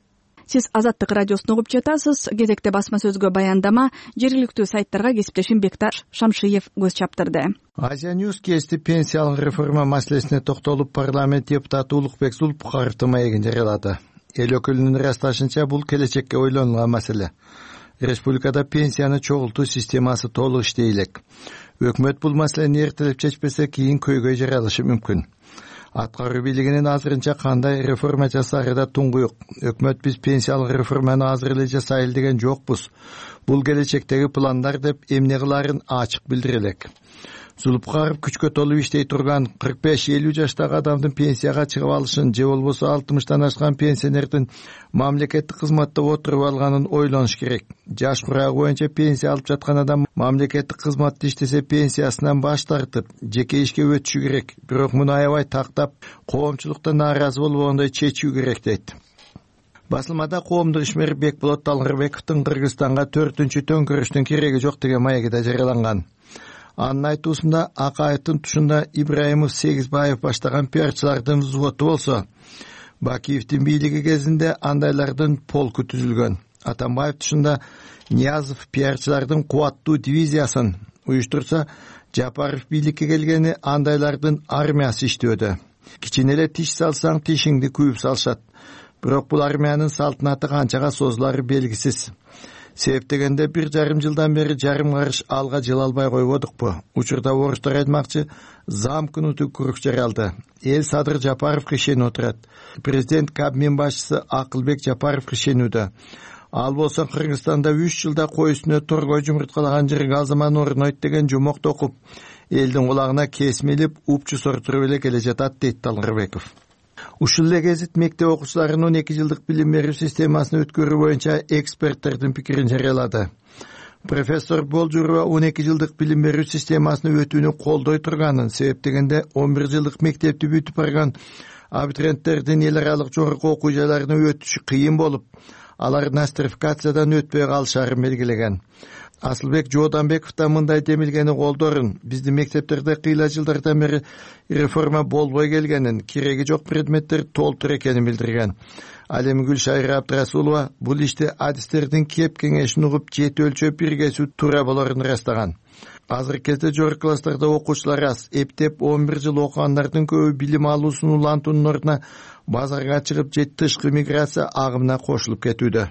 Сиз Азаттык радиосун угуп жатасыз. Кезекте басма сөзгө баяндама жергиликтүү сайттарга кесиптешим Бектар Шамшиев көз чаптырды. Азия Ньюс кести пенсиялык реформа маселесине токтолуп, парламент депутаты Улукбек Зулпухаровдун маегин жарыялады. Эл өкүлүнүн ырасташынча, бул келечекке ойлонулган маселе. Республикада пенсияны чогултуу системасы толук иштей элек. Өкмөт бул маселени эртелеп чечпесе, кийин көйгөй жаралышы мүмкүн. Аткаруу бийлигинин азырынча кандай реформа жасаары да туңгуюк. Өкмөт биз пенсиялык реформаны азыр эле жасайлы деген жокпуз. Бул келечектеги пландар деп эмне кылаарын ачык билдире элек. Зулупкаров күчкө толуп иштей турган 45-50 жаштагы адамдын пенсияга чыгып алышын же болбосо 60-тан ашкан пенсионердин мамлекеттик кызматта отуруп алганын ойлонуш керек. Жаш курагы боюнча пенсия алып жаткан адам мамлекеттик кызматта иштесе пенсиясынан баш тартып, жеке ишке өтүшү керек. Бирок муну аябай тактап, коомчулукта нааразы болбогондой чечүү керек дейт. Басылмада коомдук ишмер Бекболот Талгырбековдун Кыргызстанга 4-чү төңкөрүштүн кереги жок деген маеги да жарыяланган. Анын айтуусунда Акаевдин тушунда Ибраимов, Сегизбаев баштаган пиарчылардын взводу болсо, Бакиевдин бийлиги кезинде андайлардын полку түзүлгөн. Атамбаев тушунда Ниязов пиарчылардын кубаттуу дивизиясын уюштурса, Жапаров бийликке келгени андайлардын армиясы иштөөдө. Кичине эле тиш салсаң тишиңди күйүп салышат. Бирок бул армиянын салтанаты канчага созулары белгисиз. Себеп дегенде 1,5 жылдан бери жарым карыш алга жыла албай койбодукпу? Учурда орустар айтмакчы, замкнутый круг жаралды. Эл Садыр Жапаровго ишенип отурат. Президент Кабмин башчысы Акылбек Жапаровго ишенүүдө. Ал болсо Кыргызстанда 3 жылда кой үстүнө торгой жумурткалаган жыргал заман орнойт деген жумокту окуп, элдин кулагына кесмелип, упчу сортуруп эле келе жатат дейт Талгырбеков. Ушул эле гезит мектеп окуучуларынын 12 жылдык билим берүү системасын өткөрүү боюнча эксперттердин пикирин жарыялады. Профессор Болжурова 12 жылдык билим берүү системасын өтүүнү колдой турганын, себеп дегенде 11 жылдык мектепти бүтүп барган абитуриенттердин эл аралык жогорку окуу жайларына өтүшү кыйын болуп, алар нострификациядан өтпөй калышарын белгилеген. Асылбек Жооданбеков да мындай демилгени колдорун. Биздин мектептерде кыйла жылдардан бери реформа болбой келгенин, кереги жок предметтер толтур экенин билдирген. Ал эми Гүлшайра Абдрасулова бул ишти адистердин кеп кеңешин угуп, жети өлчөп биргесүү туура болорун ырастаган. Азыркы кезде жогорку класстарда окуучулар аз. Эптеп 11 жыл окугандардын көбү билим алуусун улантуунун ордуна базарга чыгып, же тышкы миграция агымына кошулуп кетүүдө.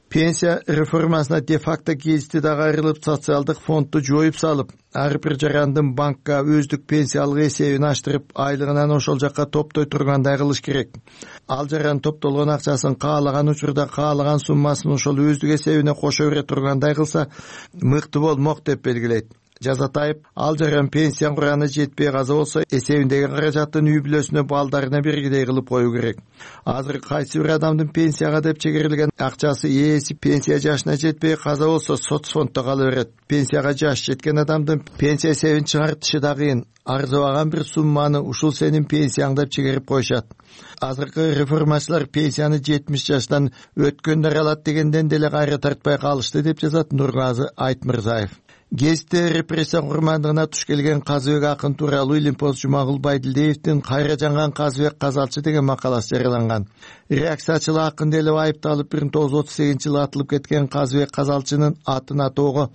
Пенсия реформасына де-факто келишти дагы айрылып, социалдык фондду жоюп салып, ар бир жарандын банкка өздүк пенсиялык эсебин аштырып, айлыгынан ошол жакка топтой тургандай кылыш керек. Ал жаран топтолгон акчасын каалаган учурда каалаган суммасын ошол өздүк эсебине кошо бере тургандай кылса, мыкты болмок деп белгилейт. Жазатаев ал жаран пенсия кураны жетпей каза болсо, эсебиндеги каражатын үй бүлөсүнө, балдарына бергидей кылып коюу керек. Азыр кайсы бир адамдын пенсияга деп чегерилген акчасы ээси пенсия жашына жетпей каза болсо, соцфонддо кала берет. Пенсияга жаш жеткен адамдын пенсия эсебин чыгартышы да кыйын. Арзыбаган бир сумманы ушул сенин пенсияң деп чегерип коюшат. Азыркы реформачылар пенсияны 70 жаштан өткөндөр алат дегенден деле кайра тартпай калышты деп жазат Нургазы Айтмырзаев. Гезитте репрессия курмандыгына туш келген Казыбек акын тууралуу Илимпоз Жумагул Байдилдеевдин «Кайра жанган Казыбек казалчы» деген макаласы жарыяланган. Реакциячыл акын деле айыпталып 1938-жылы атылып кеткен Казыбек казалчынын атын атоого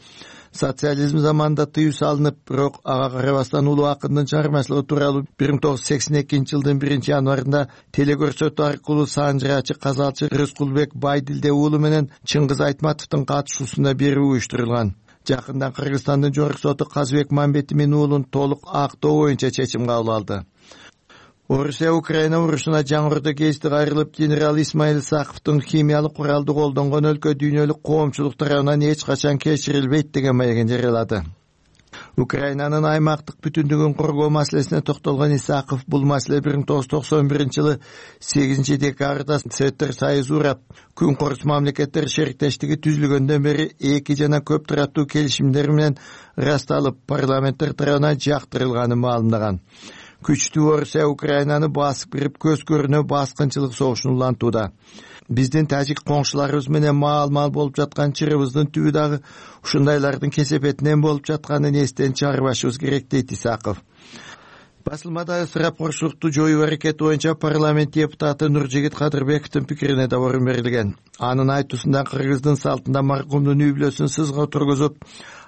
социализм заманында тыюу салынып, бирок ага карабастан улуу акындын чыгармачылыгы тууралуу 1982-жылдын 1-январында телекөрсөтүү аркылуу Санжырачы казалчы Рыскулбек Байдилде уулу менен Чыңгыз Айтматовдун катышуусунда берүү уюштурулган. Жакында Кыргызстандын жогорку соту Казыбек Мамбетимин уулун толук актоо боюнча чечим кабыл алды. Орусия-Украина урушуна жаңырды гезити кайрылып, генерал Исмаил Исаковдун химиялык куралды колдонгон өлкө дүйнөлүк коомчулук тарабынан эч качан кечирилбейт деген маегин жарыялады. Украинанын аймактык бүтүндүгүн коргоо маселесине токтолгон Исаков бул маселе 1991-жылы 8-декабрда Советтер Союзу урап, күн корус мамлекеттер шериктештиги түзүлгөндөн бери эки жана көп тараптуу келишимдер менен ырасталып, парламенттер тарабынан жактырылганын маалымдаган. Күчтүү Орусия Украинаны басып кирип, көз көрүнө баскынчылык согушун улантууда. Биздин тажик коңшуларыбыз менен маал-маал болуп жаткан чырыбыздын түбү дагы ушундайлардын кесепетинен болуп жатканын эстен чыгарбашыбыз керек дейт Исаков. Басылмада ысырапкорчулукту жоюу аракети боюнча парламент депутаты Нуржигит Кадырбековдун пикирине да орун берилген. Анын айтуусунда Кыргыздын салтында маркумдун үй бүлөсүн сызга тургузуп,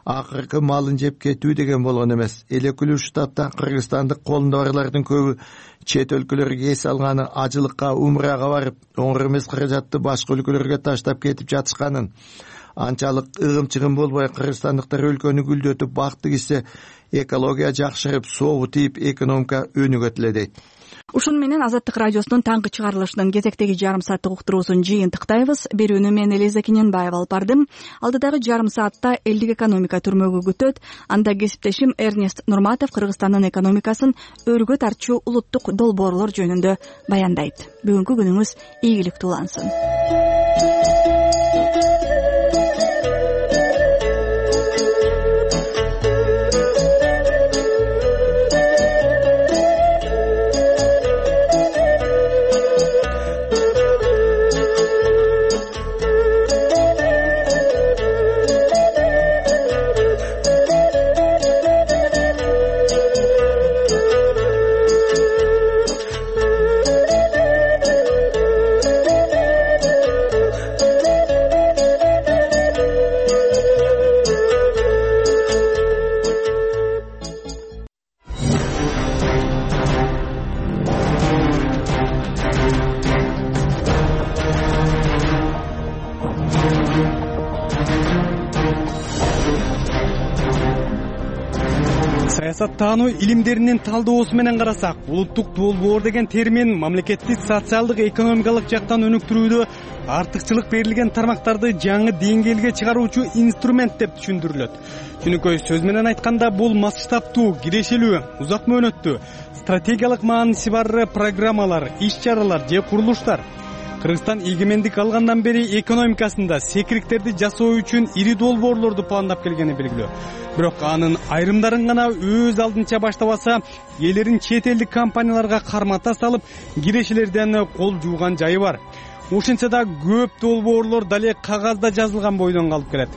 акыркы малын жеп кетүү деген болгон эмес. Элекүлүү штаттан кыргызстандык колунда барлардын көбү чет өлкөлөргө эс алганы, ажылыкка, умрага барып, оңор эмес каражатты башка өлкөлөргө таштап кетип жатышканын, анчалык ыгым-чыгым болбой кыргызстандыктар өлкөнү гүлдөтүп бакты кичсе, экология жакшырып, соогу тийип, экономика өнүгөт эле дейт. Ушуну менен Азаттык радиосунун таңкы чыгарылышынын кезектеги жарым сааттык уктуруусун жыйынтыктайбыз. Берүүнү мен Элиза Кененбаева алып бардым. Алдыдагы жарым саатта элдик экономика түрмөгү күтөт. Анда кесиптешим Эрнест Нурматов Кыргызстандын экономикасын өргө тартчу улуттук долбоорлор жөнүндө баяндайт. Бүгүнкү күнүңүз ийгиликтүү улансын. Саясаттануу илимдеринин талдоосу менен карасак, улуттук долбоор деген термин мамлекеттик социалдык экономикалык жактан өнүктүрүүдө артыкчылык берилген тармактарды жаңы деңгээлге чыгаруучу инструмент деп түшүндүрүлөт. Түнүкөй сөз менен айтканда, бул масштабтуу, кирешелүү, узак мөөнөттүү, стратегиялык мааниси бар программалар, иш-чаралар же курулуштар. Кыргызстан эгемендик алгандан бери экономикасында секириктерди жасоо үчүн ири долбоорлорду пландап келгени белгилүү. Бирок анын айрымдарын гана өз алдынча баштабаса, элерин чет элдик компанияларга кармата салып, кирешелерден кол жууган жайы бар. Ошентсе да көп долбоорлор дале кагазда жазылган бойдон калып келет.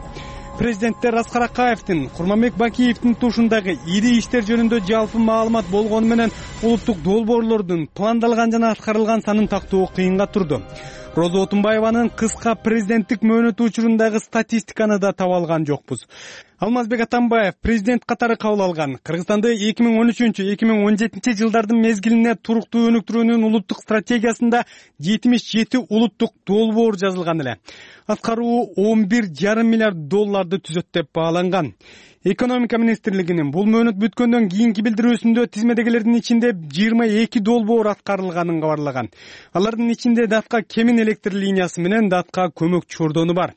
Президенттер Аскар Акаевдин, Курманбек Бакиевдин тушундагы ири иштер жөнүндө жалпы маалымат болгону менен улуттук долбоорлордун пландалган жана аткарылган санын тактоо кыйынга турду. Роза Отунбаеванын кыска президенттик мөөнөтү учурундагы статистиканы да таба алган жокпуз. Алмазбек Атамбаев президент катары кабыл алган Кыргызстанды 2013-2017 жылдардын мезгилине туруктуу өнүктүрүүнүн улуттук стратегиясында 77 улуттук долбоор жазылган эле. Аткаруу 11,5 миллиард долларды түзөт деп бааланган. Экономика министрлигинин бул мөөнөт бүткөндөн кийинки билдирүүсүндө тизмедегилердин ичинде 22 долбоор аткарылганын кабарлаган. Алардын ичинде датка Кемин электр линиясы менен датка көмөк чордону бар.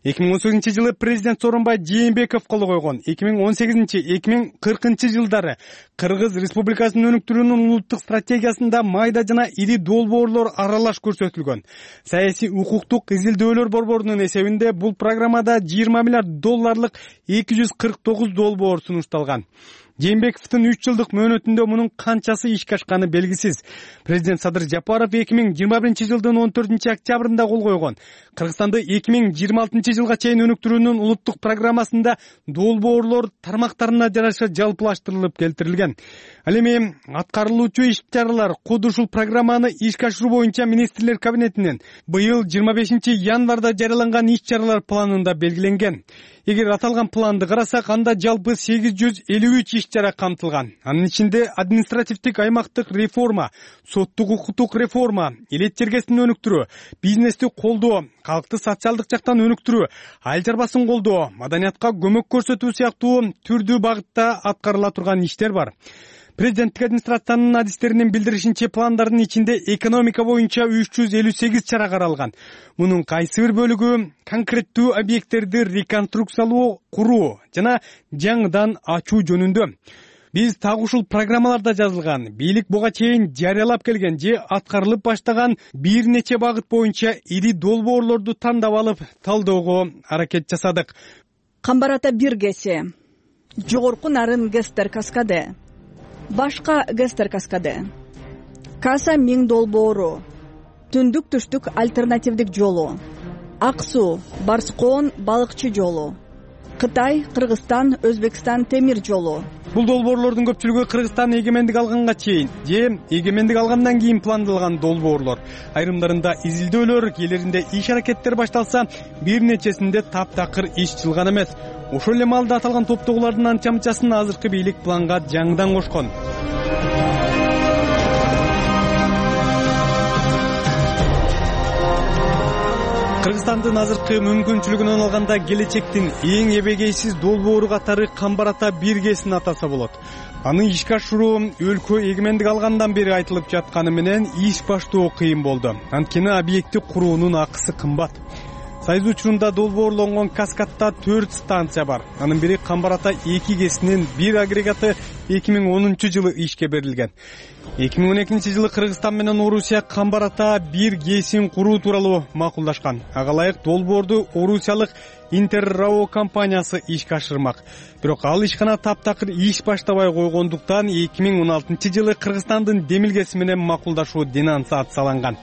2018 жылы президент Сооронбай Жээнбеков кол койгон 2018-2040 жылдары Кыргыз Республикасынын өнүктүрүүнүн улуттук стратегиясында майда жана ири долбоорлор аралаш көрсөтүлгөн. Саясий укуктук изилдөөлөр борборунун эсебинде бул программада 20 миллиард долларлык 249 долбоор сунушталган. Жээнбековдун 3 жылдык мөөнөтүндө мунун канчасы ишке ашканы белгисиз. Президент Садыр Жапаров 2021 жылдын 14 октябрында кол койгон Кыргызстанды 2026 жылга чейин өнүктүрүүнүн улуттук программасында долбоорлор тармактарына жараша жалпылаштырылып келтирилген. Ал эми аткарылуучу иш-чаралар куд ушул программаны ишке ашыруу боюнча министрлер кабинетинен быйыл 25 январда жарыяланган иш-чаралар планында белгиленген. Эгер аталган планды карасак, анда жалпы 853 иш-чара камтылган. Анын ичинде административдик аймактык реформа, соттук укуктук реформа, элет жергесин өнүктүрүү, бизнести колдоо, калкты социалдык жактан өнүктүрүү, айыл чарбасын колдоо, маданиятка көмөк көрсөтүү сыяктуу түрдүү багытта аткарыла турган иштер бар. Президенттик администрациянын адистеринин билдиришинче, пландардын ичинде экономика боюнча 358 чара каралган. Мунун кайсы бир бөлүгү конкреттүү объекттерди реконструкциялоо, куруу жана жаңыдан ачуу жөнүндө. Биз так ушул программаларда жазылган, бийлик буга чейин жарыялап келген же аткарылып баштаган бир нече багыт боюнча ири долбоорлорду тандап алып, талоого аракет жасадык. Камбарата бир кесе, жогорку нарын Гестер каскады, башка Гестер каскады, Каса 1000 долбоору, түндүк түштүк альтернативдик жолу, Ак суу, Барскоон балыкчы жолу, Кытай, Кыргызстан, Өзбекстан темир жолу. Бул долбоорлордун көпчүлүгү Кыргызстан эгемендик алганга чейин же эгемендик алгандан кийин пландалган долбоорлор. Айрымдарында изилдөөлөр, кээлеринде иш-аракеттер башталса, бир нечесинде таптакыр иш чылган эмес. Ошол эле маалда аталган топтогулардын анча-мынчасын азыркы бийлик планга жаңыдан кошкон. Кыргызстандын азыркы мүмкүнчүлүгүнөн алганда келечектин эң эбегейсиз долбоору катары Камбар ата 1 ГЭСин атаса болот. Аны ишке ашыруу өлкө эгемендик алгандан бери айтылып жатканы менен иш баштоо кыйын болду. Анткени объекти куруунун акысы кымбат. Сайыз учурунда долбоорлонгон Каскадда 4 станция бар. Анын бири Камбар ата 2 ГЭСинин 1 агрегаты 2010-жылы ишке берилген. 2012-жылы Кыргызстан менен Орусия Камбар ата 1 ГЭСин куруу тууралуу макулдашкан. Ага ылайык долбоорду орусиялык Интеррао компаниясы ишке ашырмак. Бирок ал ишкана таптакыр иш баштабай койгондуктан 2016-жылы Кыргызстандын демилгеси менен макулдашуу денонсацияланган.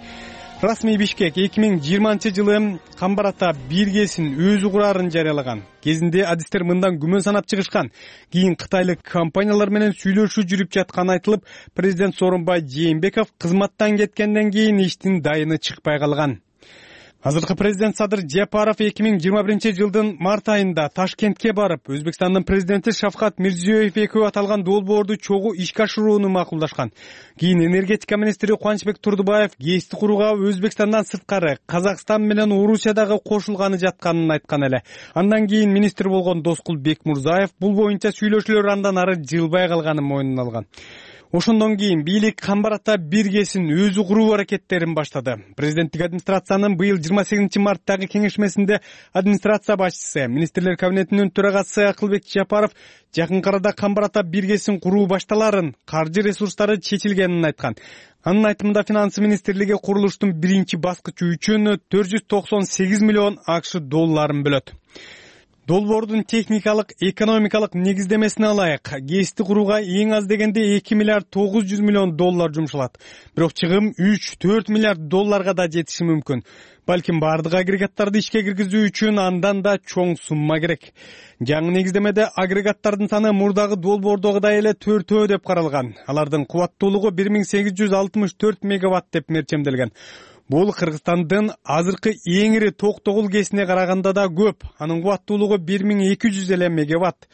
Расмий Бишкек 2020-жылы Камбар ата 1 ГЭСин өзү курарын жарыялаган. Кезинде адистер мындан күмөн санап чыгышкан. Кийин кытайлык компаниялар менен сүйлөшүү жүрүп жатканы айтылып, президент Сооронбай Жээнбеков кызматтан кеткенден кийин иштин дайыны чыкпай калган. Азыркы президент Садыр Жапаров 2021-жылдын март айында Ташкентке барып, Өзбекстандын президенти Шавкат Мирзиёев экөө аталган долбоорду чогуу ишке ашырууну макулдашкан. Кийин энергетика министри Кубанычбек Турдубаев ГЭСти курууга Өзбекстандан сырткары Казакстан менен Орусиядагы кошулганы жатканын айткан эле. Андан кийин министр болгон Доскул Бекмурзаев бул боюнча сүйлөшүүлөр андан ары жылбай калганын мойнуна алган. Ошондон кийин бийлик Камбар ата 1 ГЭСин өзү куруу аракеттерин баштады. Президенттик администрациянын быйыл 28-марттагы кеңешмесинде администрация башчысы, министрлер кабинетинин төрагасы Акылбек Жапаров жакын арада Камбар ата 1 ГЭСин куруу башталарын, каржы ресурстары чечилгенин айткан. Анын айтымында финансы министрлиги курулуштун биринчи баскычы үчүн 498 миллион АКШ долларын бөлөт. Долбоордун техникалык, экономикалык негиздемесине ылайык ГЭСти курууга эң аз дегенде 2 миллиард 900 миллион доллар жумшалат. Бирок чыгым 3-4 миллиард долларга да жетиши мүмкүн. Балким бардык агрегаттарды ишке киргизүү үчүн андан да чоң сумма керек. Жаңы негиздемеде агрегаттардын саны мурдагы долбоордогудай эле 4 деп каралган. Алардын кубаттуулугу 1864 мегаватт деп мерчемделген. Бул Кыргызстандын азыркы эң ири Токтогул ГЭСине караганда да көп. Анын кубаттуулугу 1200 эле мегаватт.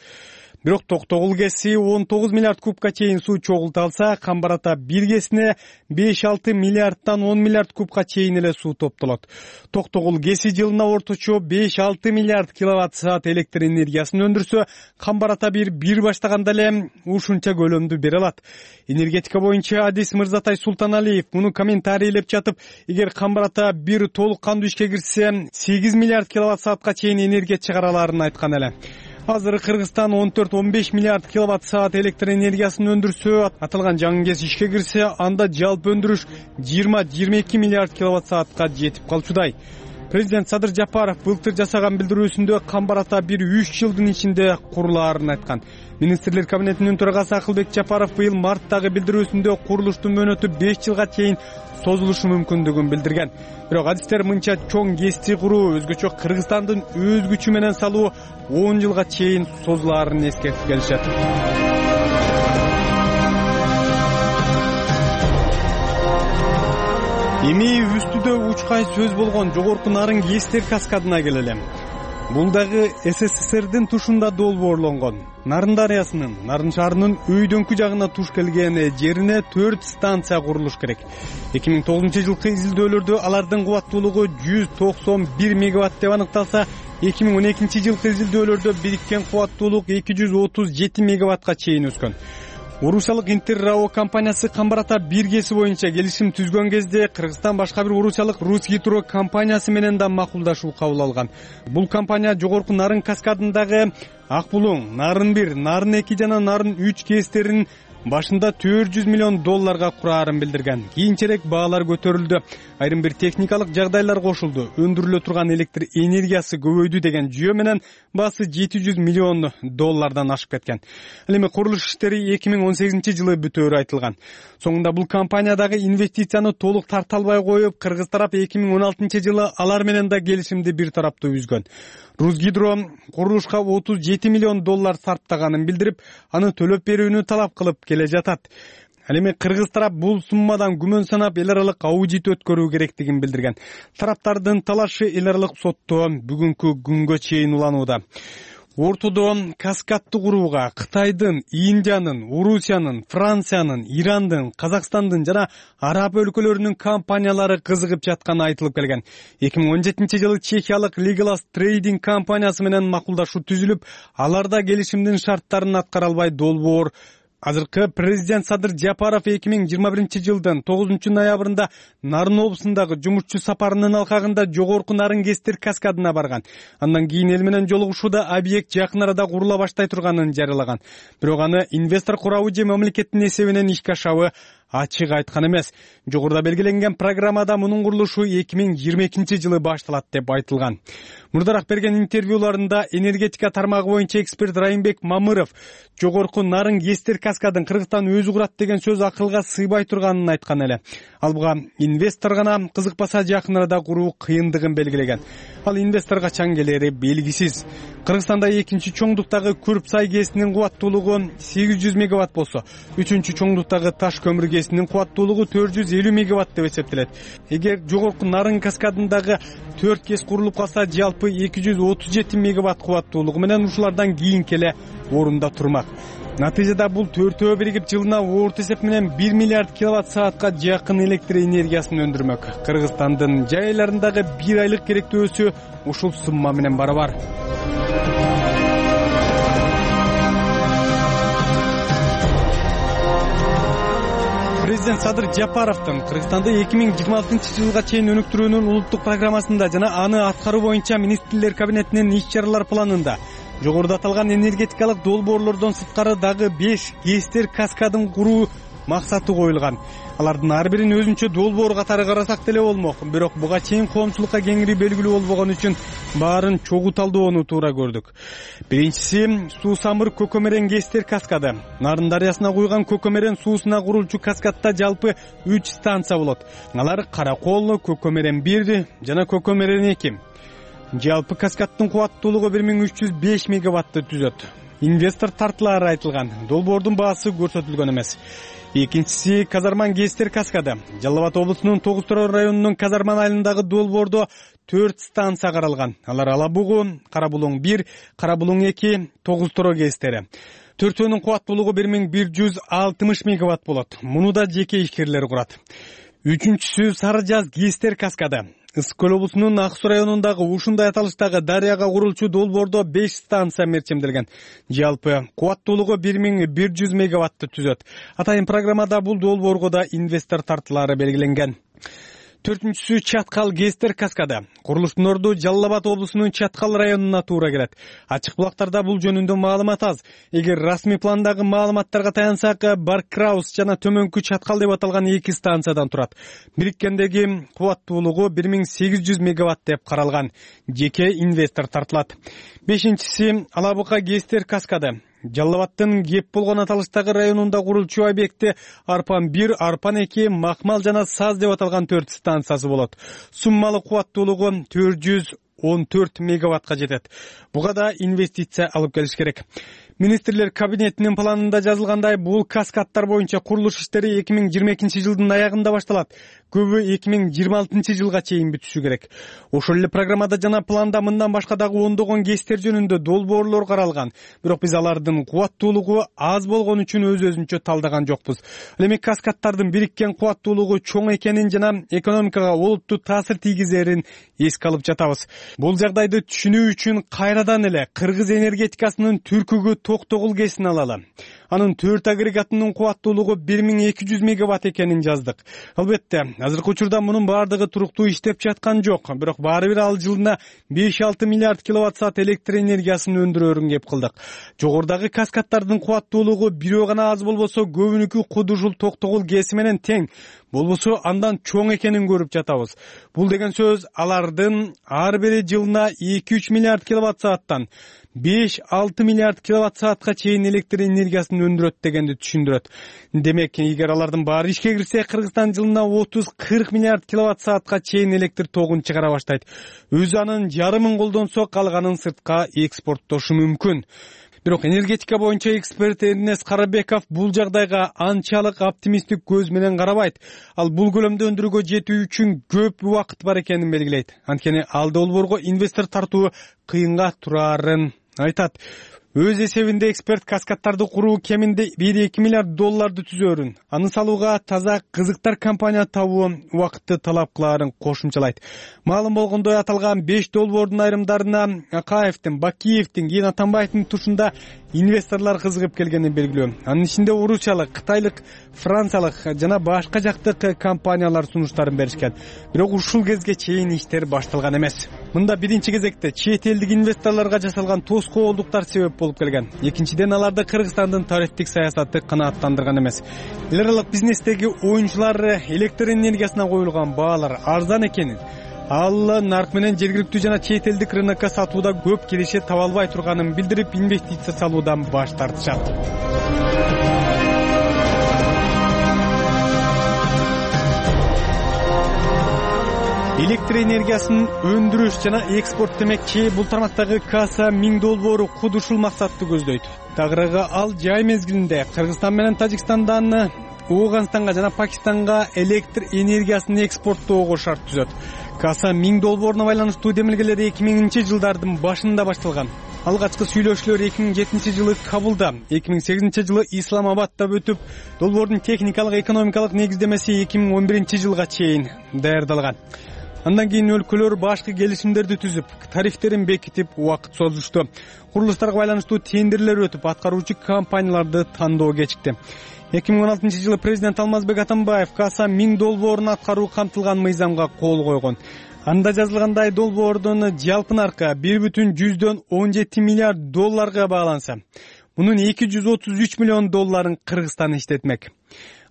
Бирок Токтогул ГЭСи 19 миллиард кубка чейин суу чогулта алса, Камбар ата 1 ГЭСине 5-6 миллиардтан 10 миллиард кубка чейин эле суу топтолот. Токтогул ГЭСи жылына орточо 5-6 миллиард киловатт-саат электр энергиясын өндүрсө, Камбар ата 1 баштаганда эле ушунча көлөмдү бере алат. Энергетика боюнча адис Мырзатай Султаналиев муну комментарийлеп жатып, эгер Камбар ата 1 толук кандуу ишке кирсе, 8 миллиард киловатт-саатка чейин энергия чыгара аларын айткан эле. Азыр Кыргызстан 14-15 миллиард киловатт-саат электр энергиясын өндүрсө, аталган жаңы ГЭС ишке кирсе, анда жалпы өндүрүш 20-22 миллиард киловатт-саатка жетип калчудай. Президент Садыр Жапаров былтыр жасаган билдирүүсүндө Камбар ата 3 жылдын ичинде курулаарын айткан. Министрлер кабинетинин төрагасы Акылбек Жапаров быйыл марттагы билдирүүсүндө курулуштун мөөнөтү 5 жылга чейин созулушу мүмкүндүгүн билдирген. Бирок адистер мынча чоң ГЭСти куруу өзгөчө Кыргызстандын өз күчү менен салуу 10 жылга чейин созулаарын эскертип келишет. Эми үстүдө учкай сөз болгон жогорку нарын ГЭСтер каскадына келели. Бул дагы СССРдин тушунда долбоорлонгон. Нарын дарыясынын, Нарын шаарынын өйдөңкү жагына туш келген жерине 4 станция курулуш керек. 2009-жылкы изилдөөлөрдө алардын кубаттуулугу 191 мегаватт деп аныкталса, 2012-жылкы изилдөөлөрдө бириккен кубаттуулук 237 мегаваттка чейин өскөн. Орусиялык Интеррао компаниясы Камбар ата 1 ГЭСи боюнча келишим түзгөн кезде Кыргызстан башка бир орусиялык Русгидро компаниясы менен да макулдашуу кабыл алган. Бул компания жогорку Нарын каскадындагы Акбулуң, Нарын 1, Нарын 2 жана Нарын 3 ГЭСтерин башында 400 миллион долларга кураарын билдирген. Кийинчерээк баалар көтөрүлдү. Айрым бир техникалык жагдайлар кошулду. Өндүрүлө турган электр энергиясы көбөйдү деген жүйө менен баасы 700 миллион доллардан ашып кеткен. Ал эми курулуш иштери 2018-жылы бүтөөрү айтылган. Соңунда бул компаниядагы инвестицияны толук тарта албай коюп, кыргыз тарап 2016-жылы алар менен да келишимди бир тараптуу үзгөн. Русгидро курулушка 37 миллион доллар сарптаганын билдирип, аны төлөп берүүнү талап кылып келе жатат. Ал эми кыргыз тарап бул суммадан күмөн санап эл аралык аудит өткөрүү керектигин билдирген. Тараптардын талашы эл аралык сотто бүгүнкү күнгө чейин уланууда. ортодо каскадты курууга Кытайдын, Индиянын, Орусиянын, Франциянын, Ирандын, Казакстандын жана араб өлкөлөрүнүн компаниялары кызыгып жатканы айтылып келген. 2017-жылы чехиялык Legalas Trading компаниясы менен макулдашуу түзүлүп, аларда келишимдин шарттарын аткара албай долбоор. Азыркы президент Садыр Жапаров 2021-жылдын 9-ноябрында Нарын облусундагы жумушчу сапарынын алкагында жогорку Нарын Кестер каскадына барган. Андан кийин эл менен жолугушууда объект жакын арада курула баштай турганын жарыялаган. Бирок аны инвестор курабы же мамлекеттин эсебинен ишке ашабы ачык айткан эмес. Жогоруда белгиленген программада мунун курулушу 2022-жылы башталат деп айтылган. Мурдараак берген интервьюларында энергетика тармагы боюнча эксперт Райымбек Мамыров жогорку Нарын Кестер каскадын Кыргызстан өзү курат деген сөз акылга сыйбай турганын айткан эле. Ал буга инвестор гана кызыкпаса жакын арада куруу кыйындыгын белгилеген. Ал инвестор качан келери белгисиз. Кыргызстанда экинчи чоңдуктагы Күрпсай КЭСинин кубаттуулугу 800 мегаватт болсо, үчүнчү чоңдуктагы Таш көмүр КЭСинин кубаттуулугу 450 мегаватт деп эсептелет. Эгер жогорку Нарын каскадындагы 4 КЭС курулуп калса, жалпы 237 мегаватт кубаттуулугу менен ушулардан кийинки эле орунда турмак. Натыйжада бул төртөө биригип жылына орто эсеп менен 1 миллиард киловатт саатка жакын электр энергиясын өндүрмөк. Кыргызстандын жай айларындагы 1 айлык керектөөсү ушул сумма менен барабар. Президент Садыр Жапаровдун Кыргызстанды 2026-жылга чейин өнүктүрүүнүн улуттук программасында жана аны аткаруу боюнча министрлер кабинетинин иш-чаралар планында жогоруда аталган энергетикалык долбоорлордон сырткары дагы 5 КЭСтер каскадын куруу максаты коюлган. Алардын ар бирин өзүнчө долбоор катары карасак деле болмок. Бирок буга чейин коомчулукка кеңири белгилүү болбогон үчүн баарын чогуу талдоону туура көрдүк. Биринчиси суу самыр Көкөмерен КЭСтер каскады. Нарын дарыясына куйган Көкөмерен суусуна курулчу каскадта жалпы 3 станция болот. Алар Каракол, Көкөмерен 1 жана Көкөмерен 2. Жалпы каскадтын кубаттуулугу 1305 мегаватты түзөт. Инвестор тартылары айтылган. Долбоордун баасы көрсөтүлгөн эмес. Экинчиси Казарман КЭСтер каскады. Жалал Абад облусунун Тогуз Тороо районунун Казарман айылындагы долбоордо 4 станция каралган. Алар Алабугу, Карабулуң 1, Карабулуң 2, Тогуз Тороо КЭСтери. Төртөөнүн кубаттуулугу 1160 мегаватт болот. Муну да жеке ишкерлер курат. Үчүнчүсү Сары Жаз КЭСтер каскады. Ысык көл облусунун Ак Суу районундагы ушундай аталыштагы дарыяга курулчу долбоордо 5 станция мерчемделген. Жалпы кубаттуулугу 1100 мегаватты түзөт. Атайын программада бул долбоорго да инвестор тартылары белгиленген. Төртүнчүсү Чаткал КЭСтер каскады. Курулуштун орду Жалал Абад облусунун Чаткал районуна туура келет. Ачык булактарда бул жөнүндө маалымат аз. Эгер расмий пландагы маалыматтарга таянсак, Баркраус жана Төмөнкү Чаткал деп аталган 2 станциядан турат. Бириккендеги кубаттуулугу 1800 мегаватт деп каралган. Жеке инвестор тартылат. Бешинчиси Алабуга КЭСтер каскады. Жалал Абадтын кеп болгон аталыштагы районунда курулчу объекти Арпан 1, Арпан 2, Макмал жана Саз деп аталган 4 станциясы болот. Суммалык кубаттуулугу 414 мегаваттка жетет. Буга да инвестиция алып келиш керек. Министрлер кабинетинин планында жазылгандай, бул каскадтар боюнча курулуш иштери 2022-жылдын аягында башталат. Көбү 2026-жылга чейин бүтүшү керек. Ошол эле программада жана планда мындан башка дагы ондогон КЭСтер жөнүндө долбоорлор каралган. Бирок биз алардын кубаттуулугу аз болгон үчүн өз-өзүнчө талдаган жокпуз. Ал эми каскадтардын бириккен кубаттуулугу чоң экенин жана экономикага олуттуу таасир тийгизерин эске алып жатабыз. Бул жагдайды түшүнүү үчүн кайрадан эле кыргыз энергетикасынын түркүгү Токтогул КЭСин алалы. Анын 4 агрегатынын кубаттуулугу 1200 мегаватт экенин жаздык. Албетте, азыркы учурда мунун баардыгы туруктуу иштеп жаткан жок. Бирок баары бир ал жылына 5-6 миллиард киловатт саат электр энергиясын өндүрөрүн кеп кылдык. Жогорудагы каскадтардын кубаттуулугу бирөө гана аз болбосо көбүнүкү Кудушул Токтогул КЭСи менен тең. Болбосо андан чоң экенин көрүп жатабыз. Бул деген сөз алардын ар бири жылына 2-3 миллиард киловатт сааттан 5-6 миллиард киловатт саатка чейин электр энергиясын өндүрөт дегенди түшүндүрөт. Демек, эгер алардын баары ишке кирсе, Кыргызстан жылына 30-40 миллиард киловатт саатка чейин электр тогун чыгара баштайт. Өзү анын жарымын колдонсо, калганын сыртка экспорттошу мүмкүн. Бирок энергетика боюнча эксперт Эрнест Карабеков бул жагдайга анчалык оптимисттик көз менен карабайт. Ал бул көлөмдө өндүрүүгө жетүү үчүн көп убакыт бар экенин белгилейт. Анткени ал долбоорго инвестор тартуу кыйынга турарын айтат. Өз эсебинде эксперт каскаддарды куруу кеминде 1-2 миллиард долларды түзөөрүн, аны салууга таза кызыктар компания табуу убакытты талап кылаарын кошумчалайт. Маалым болгондой, аталган 5 долбоордун айрымдарына Акаевдин, Бакиевдин, кийин Атамбаевдин тушунда инвесторлор кызыгып келгени белгилүү. Анын ичинде орусиялык, кытайлык, франциялык жана башка жактык компаниялар сунуштарын беришкен. Бирок ушул кезге чейин иштер башталган эмес. Мында биринчи кезекте чет элдик инвесторлорго жасалган тоскоолдуктар себеп болуп келген. Экинчиден, аларды Кыргызстандын тарифтик саясаты канааттандырган эмес. Эл аралык бизнестеги оюнчулар электр энергиясына коюлган баалар арзан экенин, ал нарк менен жергиликтүү жана чет элдик рынокко сатууда көп киреше таба албай турганын билдирип, инвестиция салуудан баш тартышат. Электр энергиясын өндүрүш жана экспорт демекчи, бул тармактагы Каса 1000 долбоору куд ушул максатты көздөйт. Тагыраагы ал жай мезгилинде Кыргызстан менен Тажикстандан Ооганстанга жана Пакистанга электр энергиясын экспорттоого шарт түзөт. Каса 1000 долбооруна байланыштуу демилгелер 2000-жылдардын башында башталган. Алгачкы сүйлөшүүлөр 2007 жылы Кабулда, 2008 жылы Исламабадда өтүп, долбоордун техникалык экономикалык негиздемеси 2011 жылга чейин даярдалган. Андан кийин өлкөлөр башкы келишимдерди түзүп, тарифтерин бекитип, убакыт созушту. Курулуштарга байланыштуу тендерлер өтүп, аткаруучу компанияларды тандоо кечикти. 2016 жылы президент Алмазбек Атамбаев Каса 1000 долбоорун аткаруу камтылган мыйзамга кол койгон. Анда жазылгандай, долбоордун жалпы наркы 1,17 миллиард долларга бааланса, мунун 233 миллион долларын Кыргызстан иштетмек.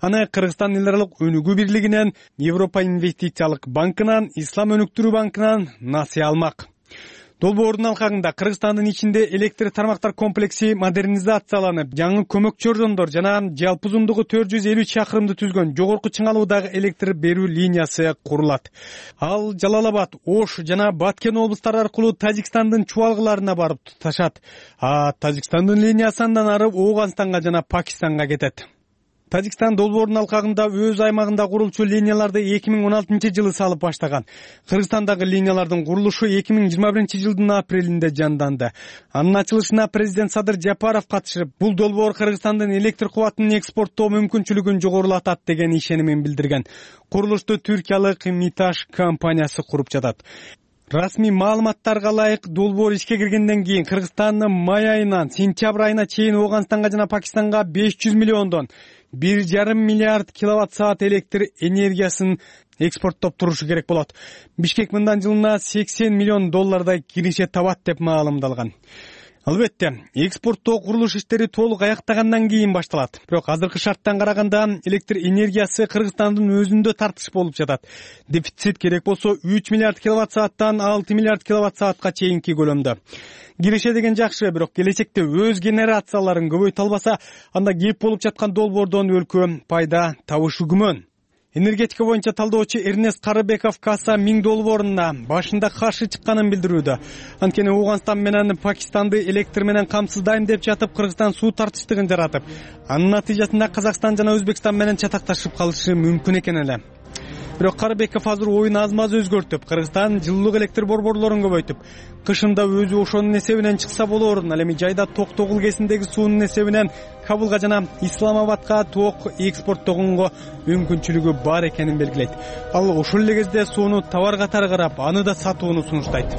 Аны Кыргызстан эл аралык өнүгүү бирлигинен, Европа инвестициялык банкынан, Ислам өнүктүрүү банкынан насыя алмак. Долбоордун алкагында Кыргызстандын ичинде электр тармактар комплекси модернизацияланып, жаңы көмөкчү ордондор жана жалпы узундугу 450 чакырымды түзгөн жогорку чыңалуудагы электр берүү линиясы курулат. Ал Жалал-Абад, Ош жана Баткен облустары аркылуу Тажикстандын чубалгыларына барып туташат. Тажикстандын линиясы андан ары Ооганстанга жана Пакистанга кетет. Тажикстан долбоордун алкагында өз аймагында курулчу линияларды 2016 жылы салып баштаган. Кыргызстандагы линиялардын курулушу 2021 жылдын апрелинде жанданды. Анын ачылышына президент Садыр Жапаров катышып, бул долбоор Кыргызстандын электр кубатын экспорттоо мүмкүнчүлүгүн жогорулатат деген ишенимин билдирген. Курулушту түркиялык Миташ компаниясы куруп жатат. Расмий маалыматтарга ылайык, долбоор ишке киргенден кийин Кыргызстан май айынан сентябрь айына чейин Ооганстанга жана Пакистанга 500 миллиондон 1,5 миллиард киловатт саат электр энергиясын экспорттоп турушу керек болот. Бишкек мындан жылына 80 миллион доллардай киреше табат деп маалымдалган. Албетте, экспорттоо курулуш иштери толук аяктагандан кийин башталат. Бирок азыркы шарттан караганда электр энергиясы Кыргызстандын өзүндө тартыш болуп жатат. Дефицит керек болсо 3 миллиард киловатт сааттан 6 миллиард киловатт саатка чейинки көлөмдө. Киреше деген жакшы, бирок келечекте өз генерацияларын көбөйтө албаса, анда кеп болуп жаткан долбоордон өлкө пайда табышы күмөн. Энергетика боюнча талдоочу Эрнест Карыбеков Каса 1000 долбооруна башында каршы чыкканын билдирүүдө. Анткени Ооганстан менен Пакистанды электр менен камсыздайм деп жатып, Кыргызстан суу тартыштыгын жаратып, анын натыйжасында Казакстан жана Өзбекстан менен чатакташып калышы мүмкүн экен эле. Бирок Карыбеков азыр оюн аз-маз өзгөртүп, Кыргызстан жылуулук электр борборлорун көбөйтүп, кышында өзү ошонун эсебинен чыкса болоорун, ал эми жайда Токтогул кесиндеги суунун эсебинен Кабулга жана Исламабадга ток экспорттогонго мүмкүнчүлүгү бар экенин белгилейт. Ал ошол эле кезде сууну товар катары карап, аны да сатууну сунуштайт.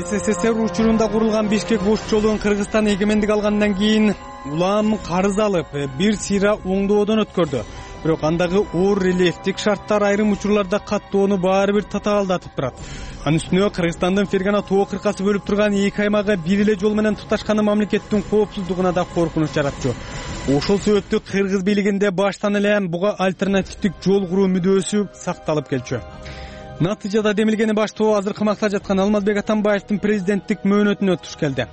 СССР учурунда курулган Бишкек бош жолун Кыргызстан эгемендик алгандан кийин улам карыз алып, бир сыйра оңдоодон өткөрдү. Бирок андагы оор рельефтик шарттар айрым учурларда каттоону баары бир татаалдатып турат. Анын үстүнө Кыргызстандын Фергана тоо кыркасы бөлүп турган эки аймагы бир эле жол менен туташканы мамлекеттин коопсуздугуна да коркунуч жаратчу. Ошол себептүү кыргыз бийлигинде баштан эле буга альтернативдик жол куруу мүдөөсү сакталып келчү. Натыйжада демилгени баштоо азыркы макта жаткан Алмазбек Атамбаевдин президенттик мөөнөтүнө туш келди.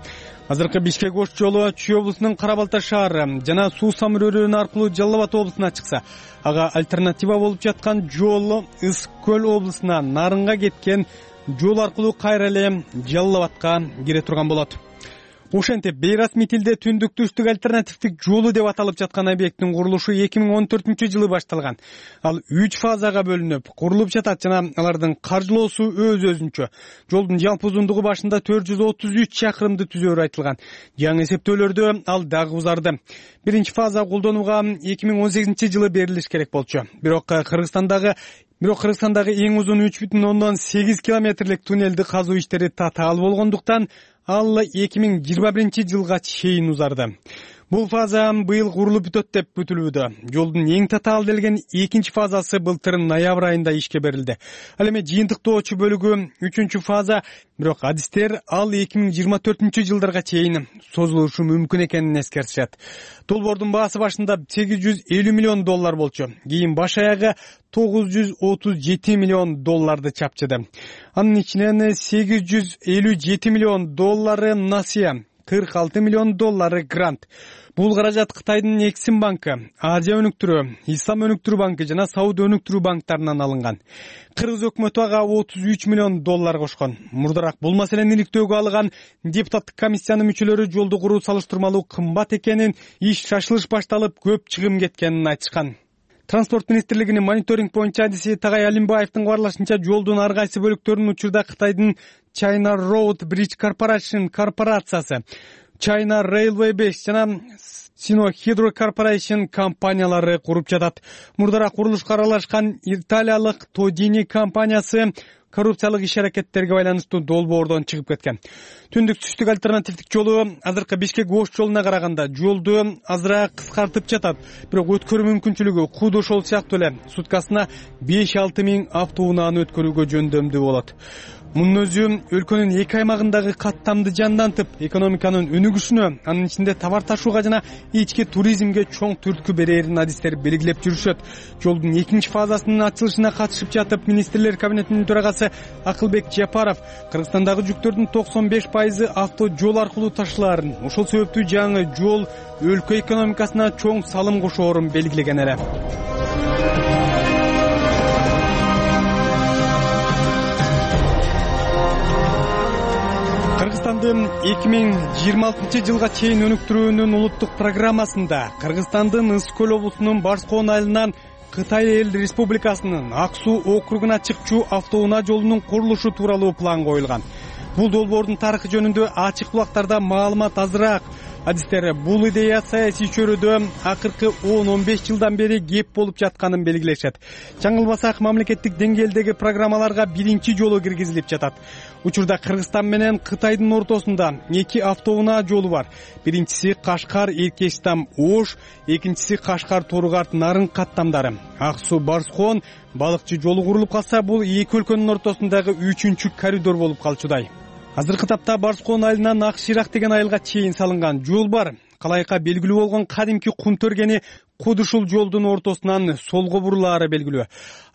Азыркы Бишкек бош жолу Чүй облусунун Кара-Балта шаары жана Суу самыр аркылуу Жалал-Абад облусуна чыкса, ага альтернатива болуп жаткан жол Ысык көл облусуна Нарынга кеткен жол аркылуу кайра эле Жалал-Абадка кире турган болот. Ошентип бейрасмий тилде түндүк-түштүк альтернативдик жолу деп аталып жаткан объекттин курулушу 2014-жылы башталган. Ал 3 фазага бөлүнүп, курулуп жатат жана алардын каржылоосу өз-өзүнчө. Жолдун жалпы узундугу башында 433 чакырымды түзөөрү айтылган. Жаңы эсептөөлөрдө ал дагы узарды. Биринчи фаза колдонууга 2018-жылы берилиш керек болчу. Бирок Кыргызстандагы эң узун 3,8 километрлик туннелди казуу иштери татаал болгондуктан ал 2021-жылга чейин узарды. Бул фаза быйыл курулуп бүтөт деп күтүлүүдө. Жолдун эң татаал делген экинчи фазасы былтыр ноябрь айында ишке берилди. Ал эми жыйынтыктоочу бөлүгү 3-чү фаза, бирок адистер ал 2024-жылдарга чейин созулушу мүмкүн экенин эскертишет. Долбоордун баасы башында $850 миллион болчу. Кийин баш аягы $937 миллион чапчыды. Анын ичинен $857 миллион насыя, $46 миллион грант. Бул каражат Кытайдын Эксим банкы, Азия өнүктүрүү, Ислам өнүктүрүү банкы жана Сауд өнүктүрүү банктарынан алынган. Кыргыз өкмөтү ага $33 миллион кошкон. Мурдараак бул маселени иликтөөгө алган депутаттык комиссиянын мүчөлөрү жолду куруу салыштырмалуу кымбат экенин, иш шашылыш башталып, көп чыгым кеткенин айтышкан. Транспорт министрлигинин мониторинг боюнча адиси Тагай Алимбаевдин кабарлашынча, жолдун ар кайсы бөлүктөрүн учурда Кытайдын China Road Bridge Corporation корпорациясы, China Railway Base жана Sino Hydro Corporation компаниялары куруп жатат. Мурдараак курулушка аралашкан италиялык Todini компаниясы коррупциялык иш-аракеттерге байланыштуу долбоордон чыгып кеткен. Түндүк-түштүк альтернативдик жолу азыркы Бишкек-Ош жолуна караганда жолду азыраак кыскартып жатат. Бирок өткөрүү мүмкүнчүлүгү Кууд ошол сыяктуу эле суткасына 5-6 миң автоунааны өткөрүүгө жөндөмдүү болот. Мунун өзү өлкөнүн эки аймагындагы каттамды жандантып, экономиканын өнүгүшүнө, анын ичинде товар ташууга жана ички туризмге чоң түрткү берерин адистер белгилеп жүрүшөт. Жолдун экинчи фазасынын ачылышына катышып жатып, министрлер кабинетинин төрагасы Акылбек Жапаров Кыргызстандагы жүктөрдүн 95% авто жол аркылуу ташылаарын, ошол себептүү жаңы жол өлкө экономикасына чоң салым кошоорун белгилеген эле. Кыргызстандын 2026-жылга чейин өнүктүрүүнүн улуттук программасында Кыргызстандын Ысык-Көл облусунун Барскоон айылынан Кытай Эл Республикасынын Ак Суу округуна чыкчу автоунаа жолунун курулушу тууралуу план коюлган. Бул долбоордун тарыхы жөнүндө ачык булактарда маалымат азыраак. Адистер бул идея саясий чөйрөдө акыркы 10-15 жылдан бери кеп болуп жатканын белгилешет. Жаңылбасак, мамлекеттик деңгээлдеги программаларга биринчи жолу киргизилип жатат. Учурда Кыргызстан менен Кытайдын ортосунда эки автоунаа жолу бар. Биринчиси Кашкар-Эркечтам-Ош, экинчиси Кашкар-Торгарт-Нарын каттамдары. Ак Суу Барскоон балыкчы жолу курулуп калса, бул эки өлкөнүн ортосундагы 3-чү коридор болуп калчудай. Азыркы тапта Барскоон айылынан Ак Ширак деген айылга чейин салынган жол бар. Калайка белгилүү болгон кадимки кум төргени Кууд ушул жолдун ортосунан солго бурулаары белгилүү.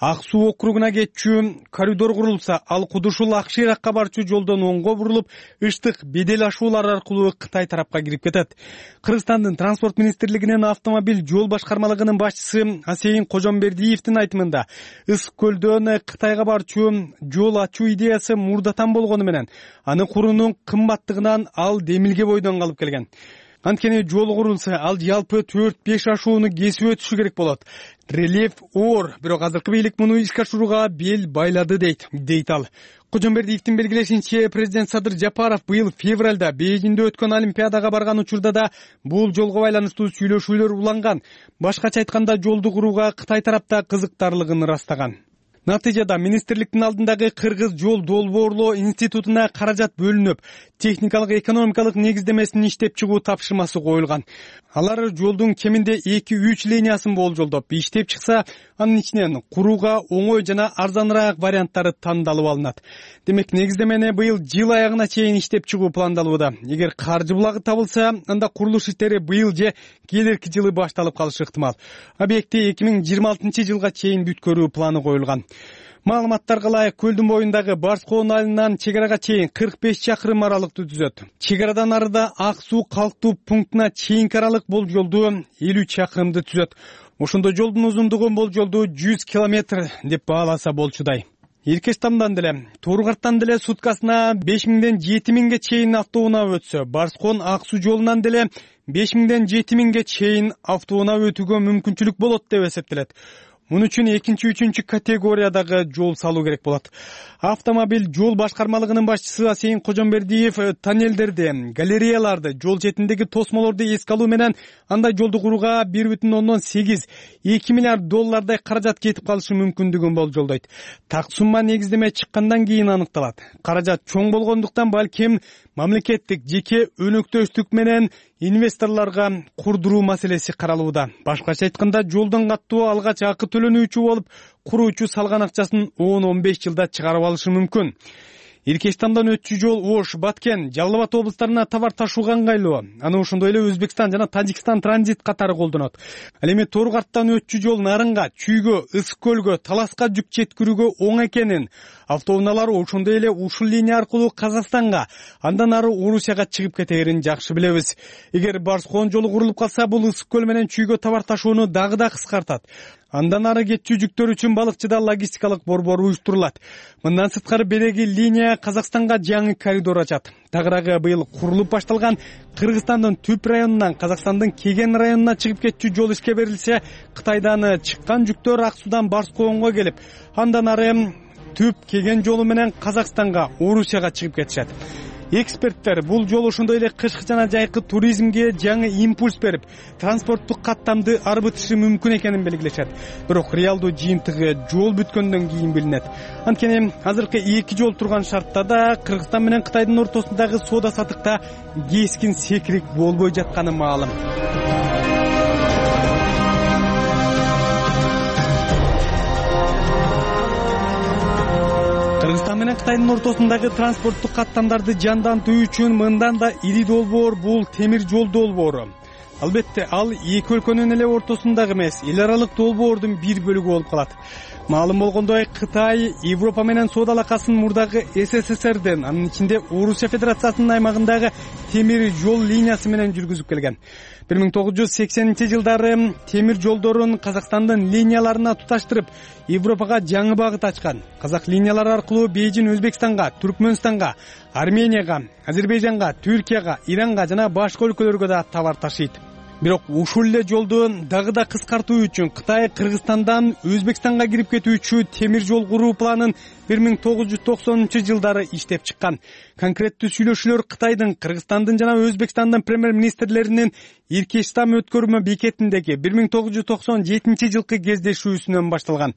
Ак Суу округуна кетчү коридор курулса, ал Кууд ушул Ак Ширакка барчу жолдон оңго бурулуп, Ыштык бедел ашуулар аркылуу Кытай тарапка кирип кетет. Кыргызстандын транспорт министрлигинин автомобиль жол башкармалыгынын башчысы Асейин Кожомбердиевдин айтымында, Ысык-Көлдөн Кытайга барчу жол ачуу идеясы мурдатан болгону менен, аны куруунун кымбаттыгынан ал демилге бойдон калып келген. Анткени жол курулса, ал жалпы 4-5 ашууну кесип өтүшү керек болот. Рельеф оор, бирок азыркы бийлик муну ишке ашырууга бел байлады дейт ал. Кожомбердиевдин белгилешинче, президент Садыр Жапаров быйыл февралда Бейжиңде өткөн Олимпиадага барган учурда да бул жолго байланыштуу сүйлөшүүлөр уланган. Башкача айтканда, жолду курууга Кытай тарапта кызыктарлыгын ырастаган. Натыйжада министрликтин алдындагы Кыргыз жол долбоорлоо институтуна каражат бөлүнүп, техникалык экономикалык негиздемесин иштеп чыгуу тапшырмасы коюлган. Алар жолдун кеминде 2-3 линиясын болжолдоп иштеп чыкса, анын ичинен курууга оңой жана арзаныраак варианттары тандалып алынат. Демек, негиздемени быйыл жыл аягына чейин иштеп чыгуу пландалууда. Эгер каржы булагы табылса, анда курулуш иштери быйыл же келерки жылы башталып калышы ыктымал. Объектти 2026-жылга чейин бүткөрүү планы коюлган. Маалыматтарга ылайык, көлдүн боюндагы Барскоон айылынан чек арага чейин 45 чакырым аралыкты түзөт. Чек арадан арыда Ак Суу калктуу пунктуна чейинки аралык болжолду 50 чакырымды түзөт. Ошондо жолдун узундугу болжолду 100 километр деп бааласа болчудай. Иркештамдан деле, Тууругарттан деле суткасына 5000ден 7000ге чейин автоунаа өтсө, Барскон Ак суу жолунан деле 5000ден 7000ге чейин автоунаа өтүүгө мүмкүнчүлүк болот деп эсептелет. Муну үчүн 2-3 категориядагы жол салуу керек болот. Автомобиль жол башкармалыгынын башчысы Асейин Кожомбердиев тоннелдерди, галереяларды, жол четиндеги тосмолорду эске алуу менен андай жолду курууга 1,8-2 миллиард доллардай каражат кетип калышы мүмкүндүгүн болжолдойт. Так сумма негиздеме чыккандан кийин аныкталат. Каражат чоң болгондуктан балким мамлекеттик жеке өнөктөштүк менен инвесторлорго курдуруу маселеси каралууда. Башкача айтканда, жолдон каттуу алгач акы төлөнүүчү болуп, куруучу салган акчасын 10-15 жылда чыгарып алышы мүмкүн. Иркештамдан өтчү жол Ош, Баткен, Жалал Абад облустарына товар ташууга ыңгайлуу. Аны ошондой эле Өзбекстан жана Тажикстан транзит катары колдонот. Ал эми Тооругарттан өтчү жол Нарынга, Чүйгө, Ысык көлгө, Таласка жүк жеткирүүгө оң экенин, автоунаалар ошондой эле ушул линия аркылуу Казакстанга, андан ары Орусияга чыгып кетерин жакшы билебиз. Эгер Барскон жолу курулуп калса, бул Ысык көл менен Чүйгө товар ташууну дагы да кыскартат. Андан ары кетчү жүктөр үчүн балыкчыда логистикалык борбор уюштурулат. Мындан сырткары береги линия Казакстанга жаңы коридор ачат. Тагыраагы быйыл курулуп башталган Кыргызстандын Түп районунан Казакстандын Кеген районуна чыгып кетчү жол ишке берилсе, Кытайдан чыккан жүктөр Ак суудан Барсконго келип, андан ары Түп Кеген жолу менен Казакстанга, Орусияга чыгып кетишет. Эксперттер бул жол ошондой эле кышкы жана жайкы туризмге жаңы импульс берип, транспорттук каттамды арбытышы мүмкүн экенин белгилешет. Бирок реалдуу жыйынтыгы жол бүткөндөн кийин билинет. Анткени азыркы эки жол турган шартта да Кыргызстан менен Кытайдын ортосундагы соода саттыкта кескин секирик болбой жатканы маалым. Кыргызстан менен Кытайдын ортосундагы транспорттук каттамдарды жандантуу үчүн мындан да ири долбоор бул темир жол долбоору. Албетте, ал эки өлкөнүн эле ортосундагы эмес, эл аралык долбоордун бир бөлүгү болуп калат. Маалым болгондой, Кытай Европа менен соода алакасын мурдагы СССРден, анын ичинде Орусия Федерациясынын аймагындагы темир жол линиясы менен жүргүзүп келген. 1980-жылдары темир жолдорун Казакстандын линияларына туташтырып, Европага жаңы багыт ачкан. Казак линиялары аркылуу Бейжин Өзбекстанга, Түркмөнстанга, Арменияга, Азербайжанга, Түркияга, Иранга жана башка өлкөлөргө да товар ташыйт. Бирок ушул эле жолду дагы да кыскартуу үчүн Кытай Кыргызстандан Өзбекстанга кирип кетүүчү темир жол куруу планын 1990-жылдары иштеп чыккан. Конкреттүү сүйлөшүүлөр Кытайдын, Кыргызстандын жана Өзбекстандын премьер-министрлеринин Иркештам өткөрмө бекетиндеги 1997-жылкы кездешүүсүнөн башталган.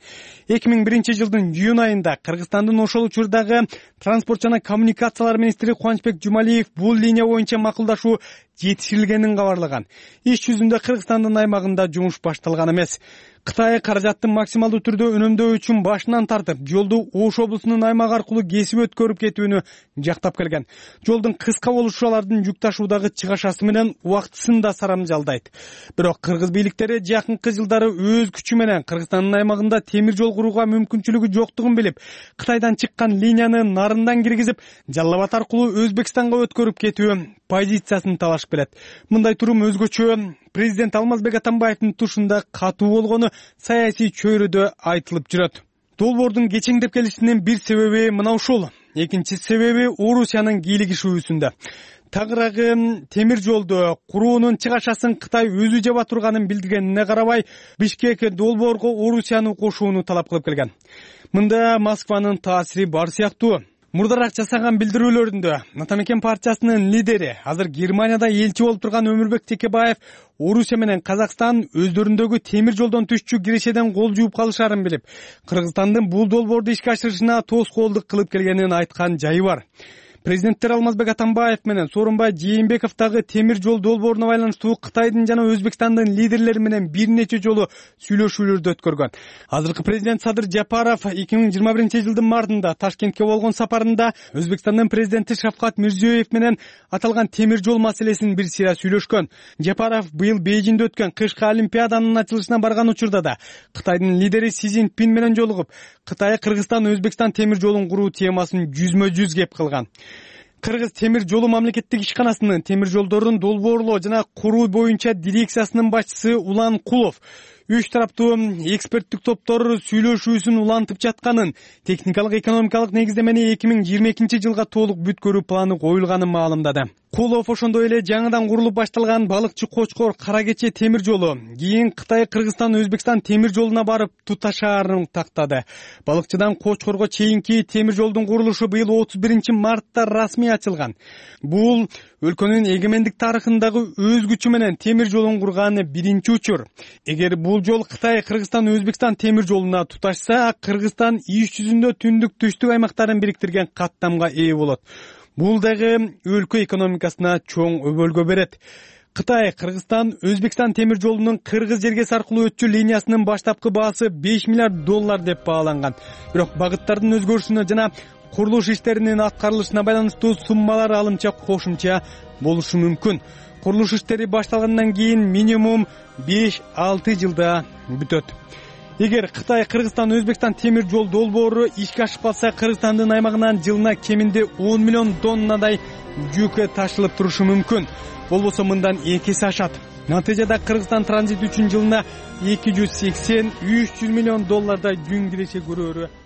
2001-жылдын июнь айында Кыргызстандын ошол учурдагы транспорт жана коммуникациялар министри Кубанычбек Жумалиев бул линия боюнча макулдашуу жетишилгенин кабарлаган. Иш жүзүндө Кыргызстандын аймагында жумуш башталган эмес. Кытай каражаттын максималдуу түрдө үнөмдөө үчүн башынан тартып, жолду Ош облусунун аймагы аркылуу кесип өткөрүп кетүүнү жактап келген. Жолдун кыска болушу алардын жүк ташуудагы чыгашасы менен убактысын да сарамжалдайт. Бирок кыргыз бийликтери жакынкы жылдары өз күчү менен Кыргызстандын аймагында темир жол курууга мүмкүнчүлүгү жоктугун билип, Кытайдан чыккан линияны Нарындан киргизип, Жалал Абад аркылуу Өзбекстанга өткөрүп кетүү позициясын талашып келет. Мындай турум өзгөчө президент Алмазбек Атамбаевдин тушунда катуу болгону саясий чөйрөдө айтылып жүрөт. Долбоордун кечеңдеп келишинин бир себеби мына ушул. Экинчи себеби Орусиянын кийлигишүүсүндө. Тагыраагы темир жолду куруунун чыгашасын Кытай өзү жаба турганын билдиргенине карабай, Бишкек долбоорго Орусияны кошууну талап кылып келген. Мында Москванын таасири бар сыяктуу. Мурдараак жасаган билдирүүлөрүндө Атамекен партиясынын лидери, азыр Германияда элчи болуп турган Өмүрбек Текебаев Орусия менен Казакстан өздөрүндөгү темир жолдон түшчү кирешеден кол жууп калышарын билип, Кыргызстандын бул долбоорду ишке ашырышына тоскоолдук кылып келгенин айткан жайы бар. Президенттер Алмазбек Атамбаев менен Сооронбай Жээнбеков дагы темир жол долбооруна байланыштуу Кытайдын жана Өзбекстандын лидерлери менен бир нече жолу сүйлөшүүлөрдү өткөргөн. Азыркы президент Садыр Жапаров 2021-жылдын мартында Ташкентке болгон сапарында Өзбекстандын президенти Шавкат Мирзиёев менен аталган темир жол маселесин бир сыйра сүйлөшкөн. Жапаров быйыл Бейжиңде өткөн кышкы олимпиаданын ачылышына барган учурда да Кытайдын лидери Си Цзиньпин менен жолугуп, Кытай, Кыргызстан, Өзбекстан темир жолун куруу темасын жүзмө-жүз кеп кылган. Кыргыз темир жолу мамлекеттик ишканасынын темир жолдорун долбоорлоо жана куруу боюнча дирекциясынын башчысы Улан Кулов Үч тараптуу эксперттик топтор сүйлөшүүсүн улантып жатканын, техникалык экономикалык негиздемени 2022 жылга толук бүткөрүү планы коюлганын маалымдады. Кулов ошондой эле жаңыдан курулуп башталган балыкчы Кочкор Кара Кече темир жолу кийин Кытай, Кыргызстан, Өзбекстан темир жолуна барып туташаарын тактады. Балыкчыдан Кочкорго чейинки темир жолдун курулушу быйыл 31-мартта расмий ачылган. Бул өлкөнүн эгемендик тарыхындагы өз күчү менен темир жолун курган биринчи учур. Эгер бул жол Кытай, Кыргызстан, Өзбекстан темир жолуна туташса, Кыргызстан иш жүзүндө түндүк түштүк аймактарын бириктирген каттамга ээ болот. Бул дагы өлкө экономикасына чоң өбөлгө берет. Кытай, Кыргызстан, Өзбекстан темир жолунун Кыргыз Жергес аркылуу өтчү линиясынын баштапкы баасы $5 миллиард деп бааланган. Бирок багыттардын өзгөрүшүнө жана курулуш иштеринин аткарылышына байланыштуу суммалар алымча кошумча болушу мүмкүн. Курулуш иштери башталгандан кийин минимум 5-6 жылда бүтөт. Эгер Кытай, Кыргызстан, Өзбекстан темир жол долбоору ишке ашып калса, Кыргызстандын аймагынан жылына кеминде 10 миллион тоннадай жүк ташылып турушу мүмкүн. Болбосо мындан 2 эсе ашат. Натыйжада Кыргызстан транзит үчүн жылына $280-300 миллион жүн киреше көрөөрү